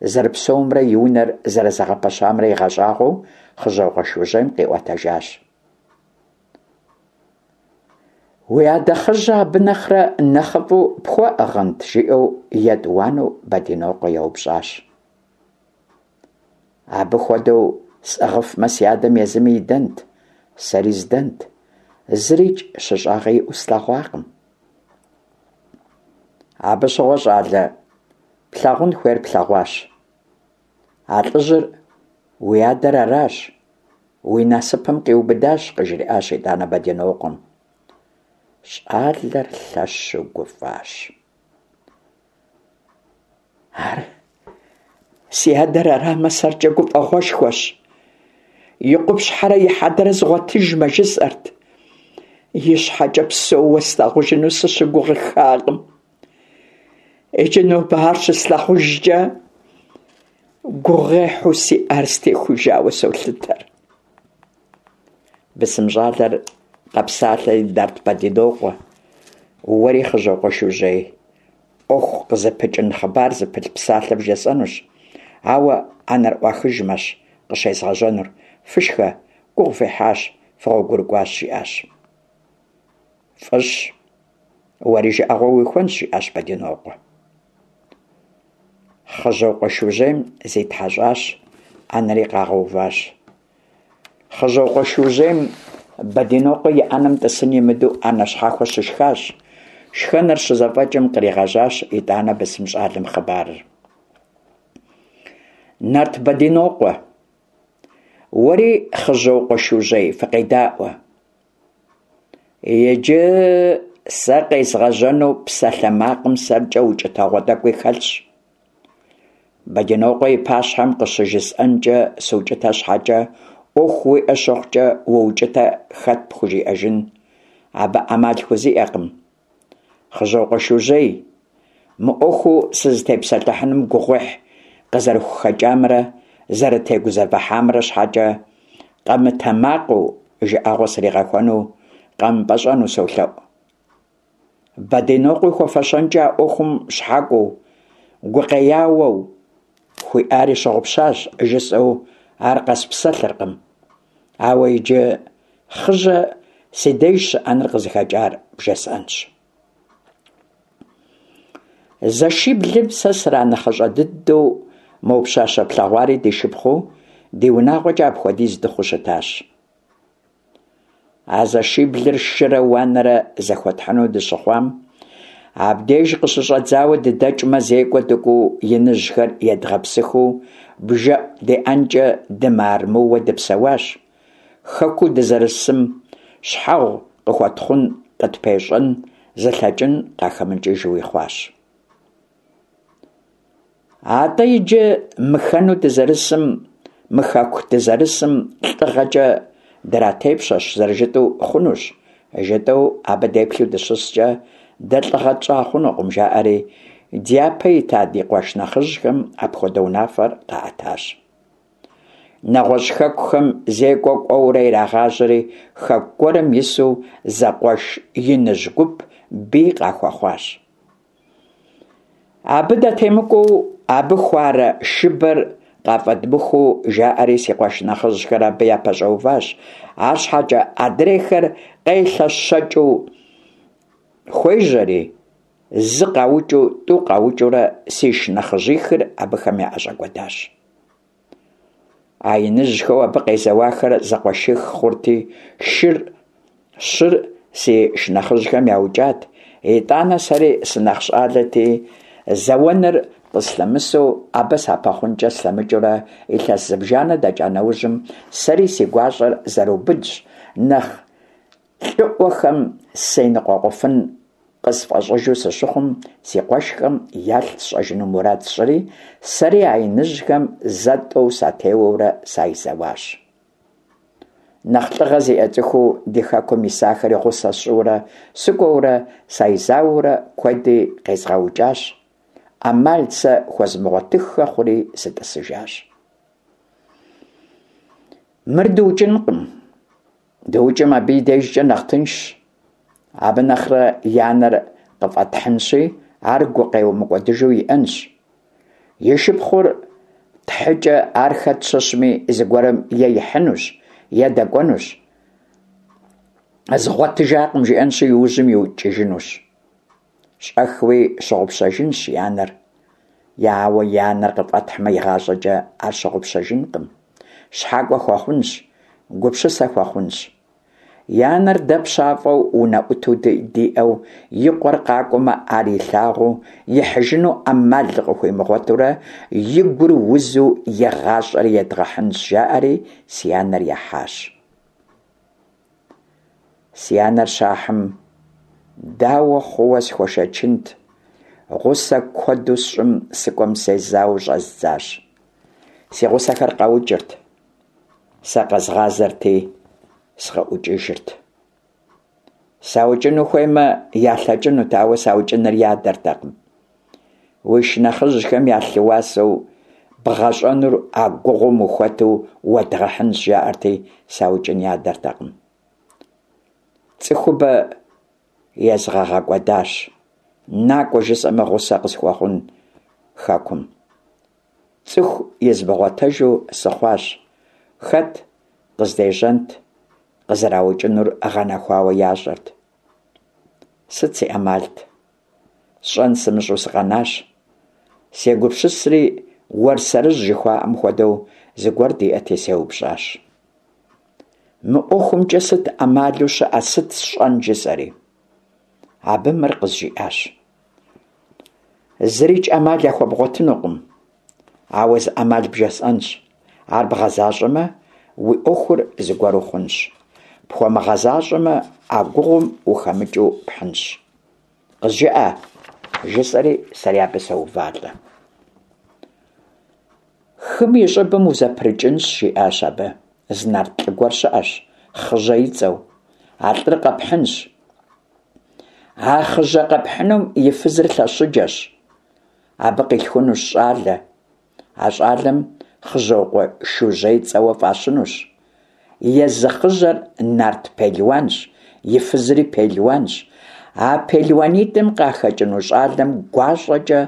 зэрыпсэумрэ и унэр зэрызэгъэпэщамрэ игъэщӏагъуэу Хъыжьокъуэ Шужьейм къиӏуэтэжащ. Уи адэ Хъыжьэ абы нэхърэ нэхъыфӏу пхуэӏыгъынт, жиӏэу етӏуанэу Бэдинокъуэ еупщӏащ. Абы хуэдэу сӏыгъыфмэ, си адэм езыми идэнт, сэри здэнт. Зырикӏ щыщӏагъэ иӏэу слъэгъуакъым. Абы щыгъуэ, щӏалэ, плъагъун хуейр плъэгъуащ. А лӏыжьыр уи адэр аращ, уи насыпым къиубыдащ, къыжриӏащ итӏанэ Бэдинокъуэм. Щӏалэр лъэщу гуфӏащ. Ар си адэр арамэ, сэркӏэ гуфӏэгъуэшхуэщ. И къупщхьэрэ и хьэдэрэ згъуэтыжмэ, жысӏэрт. И щхьэкӏэ псэууэ слъагъужыну сыщыгугъыххакъым. Иджы нобэ ар щыслъагъужкӏэ, гугъуехьу сиӏар стехужауэ солъытэр. Бысым щӏалэр къэпсалъэри, Нарт Бэдинокъуэ, уэри Хъыжьокъуэ Шужьей, ӏуэху къызыпыкӏын хъыбар зыпылъ псалъэ вжесӏэнущ, ауэ ӏэнэр ӏуахыжмэщ къыщезгъэжьэнур. Фышхэ, гугъу фехьащ, фыгъуэгурыкӏуащ, жиӏащ. Фӏыщ, уэри жыӏэгъуэ уихуэнщ, жиӏащ Бэдинокъуэ. Хъыжьокъуэ Шужьейм зитхьэщӏащ, ӏэнэри къагъэуващ. Хъыжьокъуэ Шужьейм Бэдинокъуэ и ӏэнэм тӏысын имыдэу ӏэнэ щхьэхуэ щышхащ. Шхэныр щызэфӏэкӏым къригъэжьащ итӏанэ бысым щӏалэм хъыбарыр. Нарт Бэдинокъуэ, уэри Хъыжьокъуэ Шужьей фыкъедаӏуэ. Иджы сэ къезгъэжьэну псалъэмакъым сэркӏэ укӏытэгъуэ тӏэкӏуи хэлъщ. Бэдинокъуэ и пащхьэм къыщыжысӏэнкӏэ сукӏытэ щхьэкӏэ, ӏуэху уиӏэ щыхъукӏэ уоукӏытэ хэт пхужиӏэжын? Абы ӏэмал хузиӏэкъым. Хъыжьокъуэ Шужьей, мы ӏуэхуу сызытепсэлъыхьынум гугъуехь къызэрыхухэкӏамрэ зэрытегузэвыхьамрэ щхьэкӏэ къэмытэмакъыу жыӏэгъуэ сригъэхуэну къэмыпӏэщӏэну солъэӏу. Бэдинокъуи хуэфэщэнкӏэ а ӏуэхум щхьэкӏуэу, гукъеяуэу хуиӏари щыгъупщащ, жысӏэу ар къэспсэлъыркъым. Ауэ иджы Хъыжьэ си деж щыӏэныр къызыхэкӏар бжесӏэнщ. Зэшиблым сэ сранэхъыщӏэ дыдэу, мо пщащэ плъэгъуари ди шыпхъуу, ди унагъуэкӏэ апхуэдиз дыхъуу щытащ. А зэшиблыр шырэ уанэрэ зэхуэтхьыну дыщыхъуам, абдеж къыщыщӏэдзауэ дыдэкӏмэ зекӏуэ дыкӏуэу иныжьхэр едгъэпсыхыу бжэӏу деӏэнкӏэ дымыармыууэ дыпсэуащ. Хэкуу дызэрысым щхьэгъу къыхуэтхъун къытпещӏэн зылъэкӏын къахэмыкӏыжуи хъуащ. Атӏэ иджы мы хэну дызэрысым, мы хэку дызэрысым лӏыгъэкӏэ дратепщэщ зэрыжытӏэу хъунущ, жытӏэу абы деплъу дыщыскӏэ, дэ лӏыгъэ тщӏа хъунукъым, жаӏэри, дяпэ ита ди къуэш нэхъыжьхэм апхуэдэ унафэр къаӏэтащ. Нэгъуэщӏ хэкухэм зекӏуэ кӏуэурэ ирагъажьэри, хэку гуэрым ису зэкъуэш иныжь гуп бий къахуэхъуащ. Абы датемыкӏуэу, абы хуарэ шыбэр къафӏэдмыхуу, жаӏэри си къуэш нэхъыжьхэр абы япэщӏэуващ, арщхьэкӏэ адрейхэр къелъэщэкӏыу хуежьэри, зы къаукӏыу, тӏу къаукӏыурэ си шынэхъыжьихыр абыхэм яӏэщӏэкӏуэдащ. А иныжьхэу абы къезэуахэр зэкъуэших хъурти, шыр щыр си шынэхъыжьхэм яукӏат, итӏанэ сэри сынэхъ щӏалэти, зэуэныр къыслъэмысу абы сапэхъункӏэ слъэмыкӏыурэ илъэс зыбжанэ дэкӏа нэужьым сэри си гуащӏэр зэрыубыдщ, нэхъ Лӏыӏуэхэм сеныкъуэкъуфын къысфӏэщӏыжу сыщыхъум, си къуэшхэм ялъ сщӏэжыну мурад сщӏыри, сэри а иныжьхэм зэ-тӏэу сатеуэурэ сайзэуащ. Нэхъ лӏыгъэ зиӏэ цӏыхуу ди хэкум исахэри гъусэ сщӏыурэ, сыкӏуэурэ сайзауэурэ куэди къезгъэукӏащ, ӏэмал сэ хуэзмыгъуэтыххэ хъури сытӏысыжащ. Мыр дыукӏынкъым. Дыукӏым абы и дежкӏэ нэхъ тыншщ. Абы нэхърэ и анэр къыфӏэтхьынщи, ар гукъеуэ мыкӏуэдыжу иӏэнщ. И шыпхъур тхьыкӏэ ар хэт щыщми зыгуэрым е ихьынущ, е дэкӏуэнущ. Згъуэтыжакъым жиӏэнщи, иужьым иукӏыжынущ. Щӏэхыуи щыгъупщэжынщ и анэр. Е ауэ и анэр къыфӏэтхьмэ игъащӏэкӏэ ар щыгъупщэжынкъым. Щхьэкӏуэ хуэхъунщ, гупсысэ хуэхъунщ. И анэр дэ пщафӏэу унэӏуту диӏэу, и къуэр къакӏуэмэ ар илъагъуу, ихьыжыну ӏэмал къыхуимыгъуэтурэ, и гур узу и гъащӏэр едгъэхьынщ, жаӏэри си анэр яхьащ. Си анэр щахьым, дауэ хъууэ схуэшэчынт, гъусэ куэду сщӏым сыкӏуэм сезауэу щӏэздзащ. Си гъусэхэр къаукӏырт, сэ къэзгъазэрти, сыкъыӏукӏыжырт. Саукӏыну хуеймэ, ялъэкӏынут, ауэ саукӏыныр ядэртэкъым. Уи шынэхъыжьхэм я лъы уасэу бгъэщӏэнур а гугъум ухуэту уэдгъэхьынщ, жаӏэрти, саукӏын ядэртэкъым. Цӏыхубэ езгъэгъэкӏуэдащ, накӏуэ жысӏэмэ гъусэ къысхуэхъун хэкум. Цӏыху измыгъуэтэжу сыхъуащ, хэт къыздежьэнт, къызэраукӏынур гъэнэхуауэ ящӏэрт. Сыт си ӏэмалт? Сщӏэн сымыщӏэу сыкъэнащ. Сегупсысри, уэрсэрыжь жыхуаӏэм хуэдэу зыгуэр диӏэти сеупщӏащ. Мы ӏуэхумкӏэ сыт ӏэмалу щыӏэ, сыт сщӏэн жысӏэри. Абы мыр къызжиӏащ. Зырикӏ ӏэмал яхуэбгъуэтынукъым, ауэ зы ӏэмал бжесӏэнщ. Ар бгъэзащӏэмэ, уи ӏуэхур зыгуэру хъунщ. Пхуэмыгъэзащӏэмэ, а гугъум ухэмыкӏыу пхьынщ. Къызжыӏэ, жысӏэри сэри абы соувалӏэ. Хым и щӏыбым узэпрыкӏынщ, жиӏащ абы. Зы нарт лӏы гуэр щыӏэщ, Хъыжьэ и цӏэу. А лӏыр къэпхьынщ. А Хъыжьэ къэпхьынум и фызыр лъэщыджэщ. Абы къилъхунущ щӏалэ. А щӏалэм Хъыжьокъуэ Шужьей цӏэуэ фӏащынущ. Езы Хъыжьэр нарт пелуанщ, и фызри пелуанщ. А пелуанитӏым къахэкӏыну щӏалэм гуащӏэкӏэ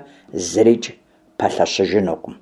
зырикӏ пэлъэщыжынукъым.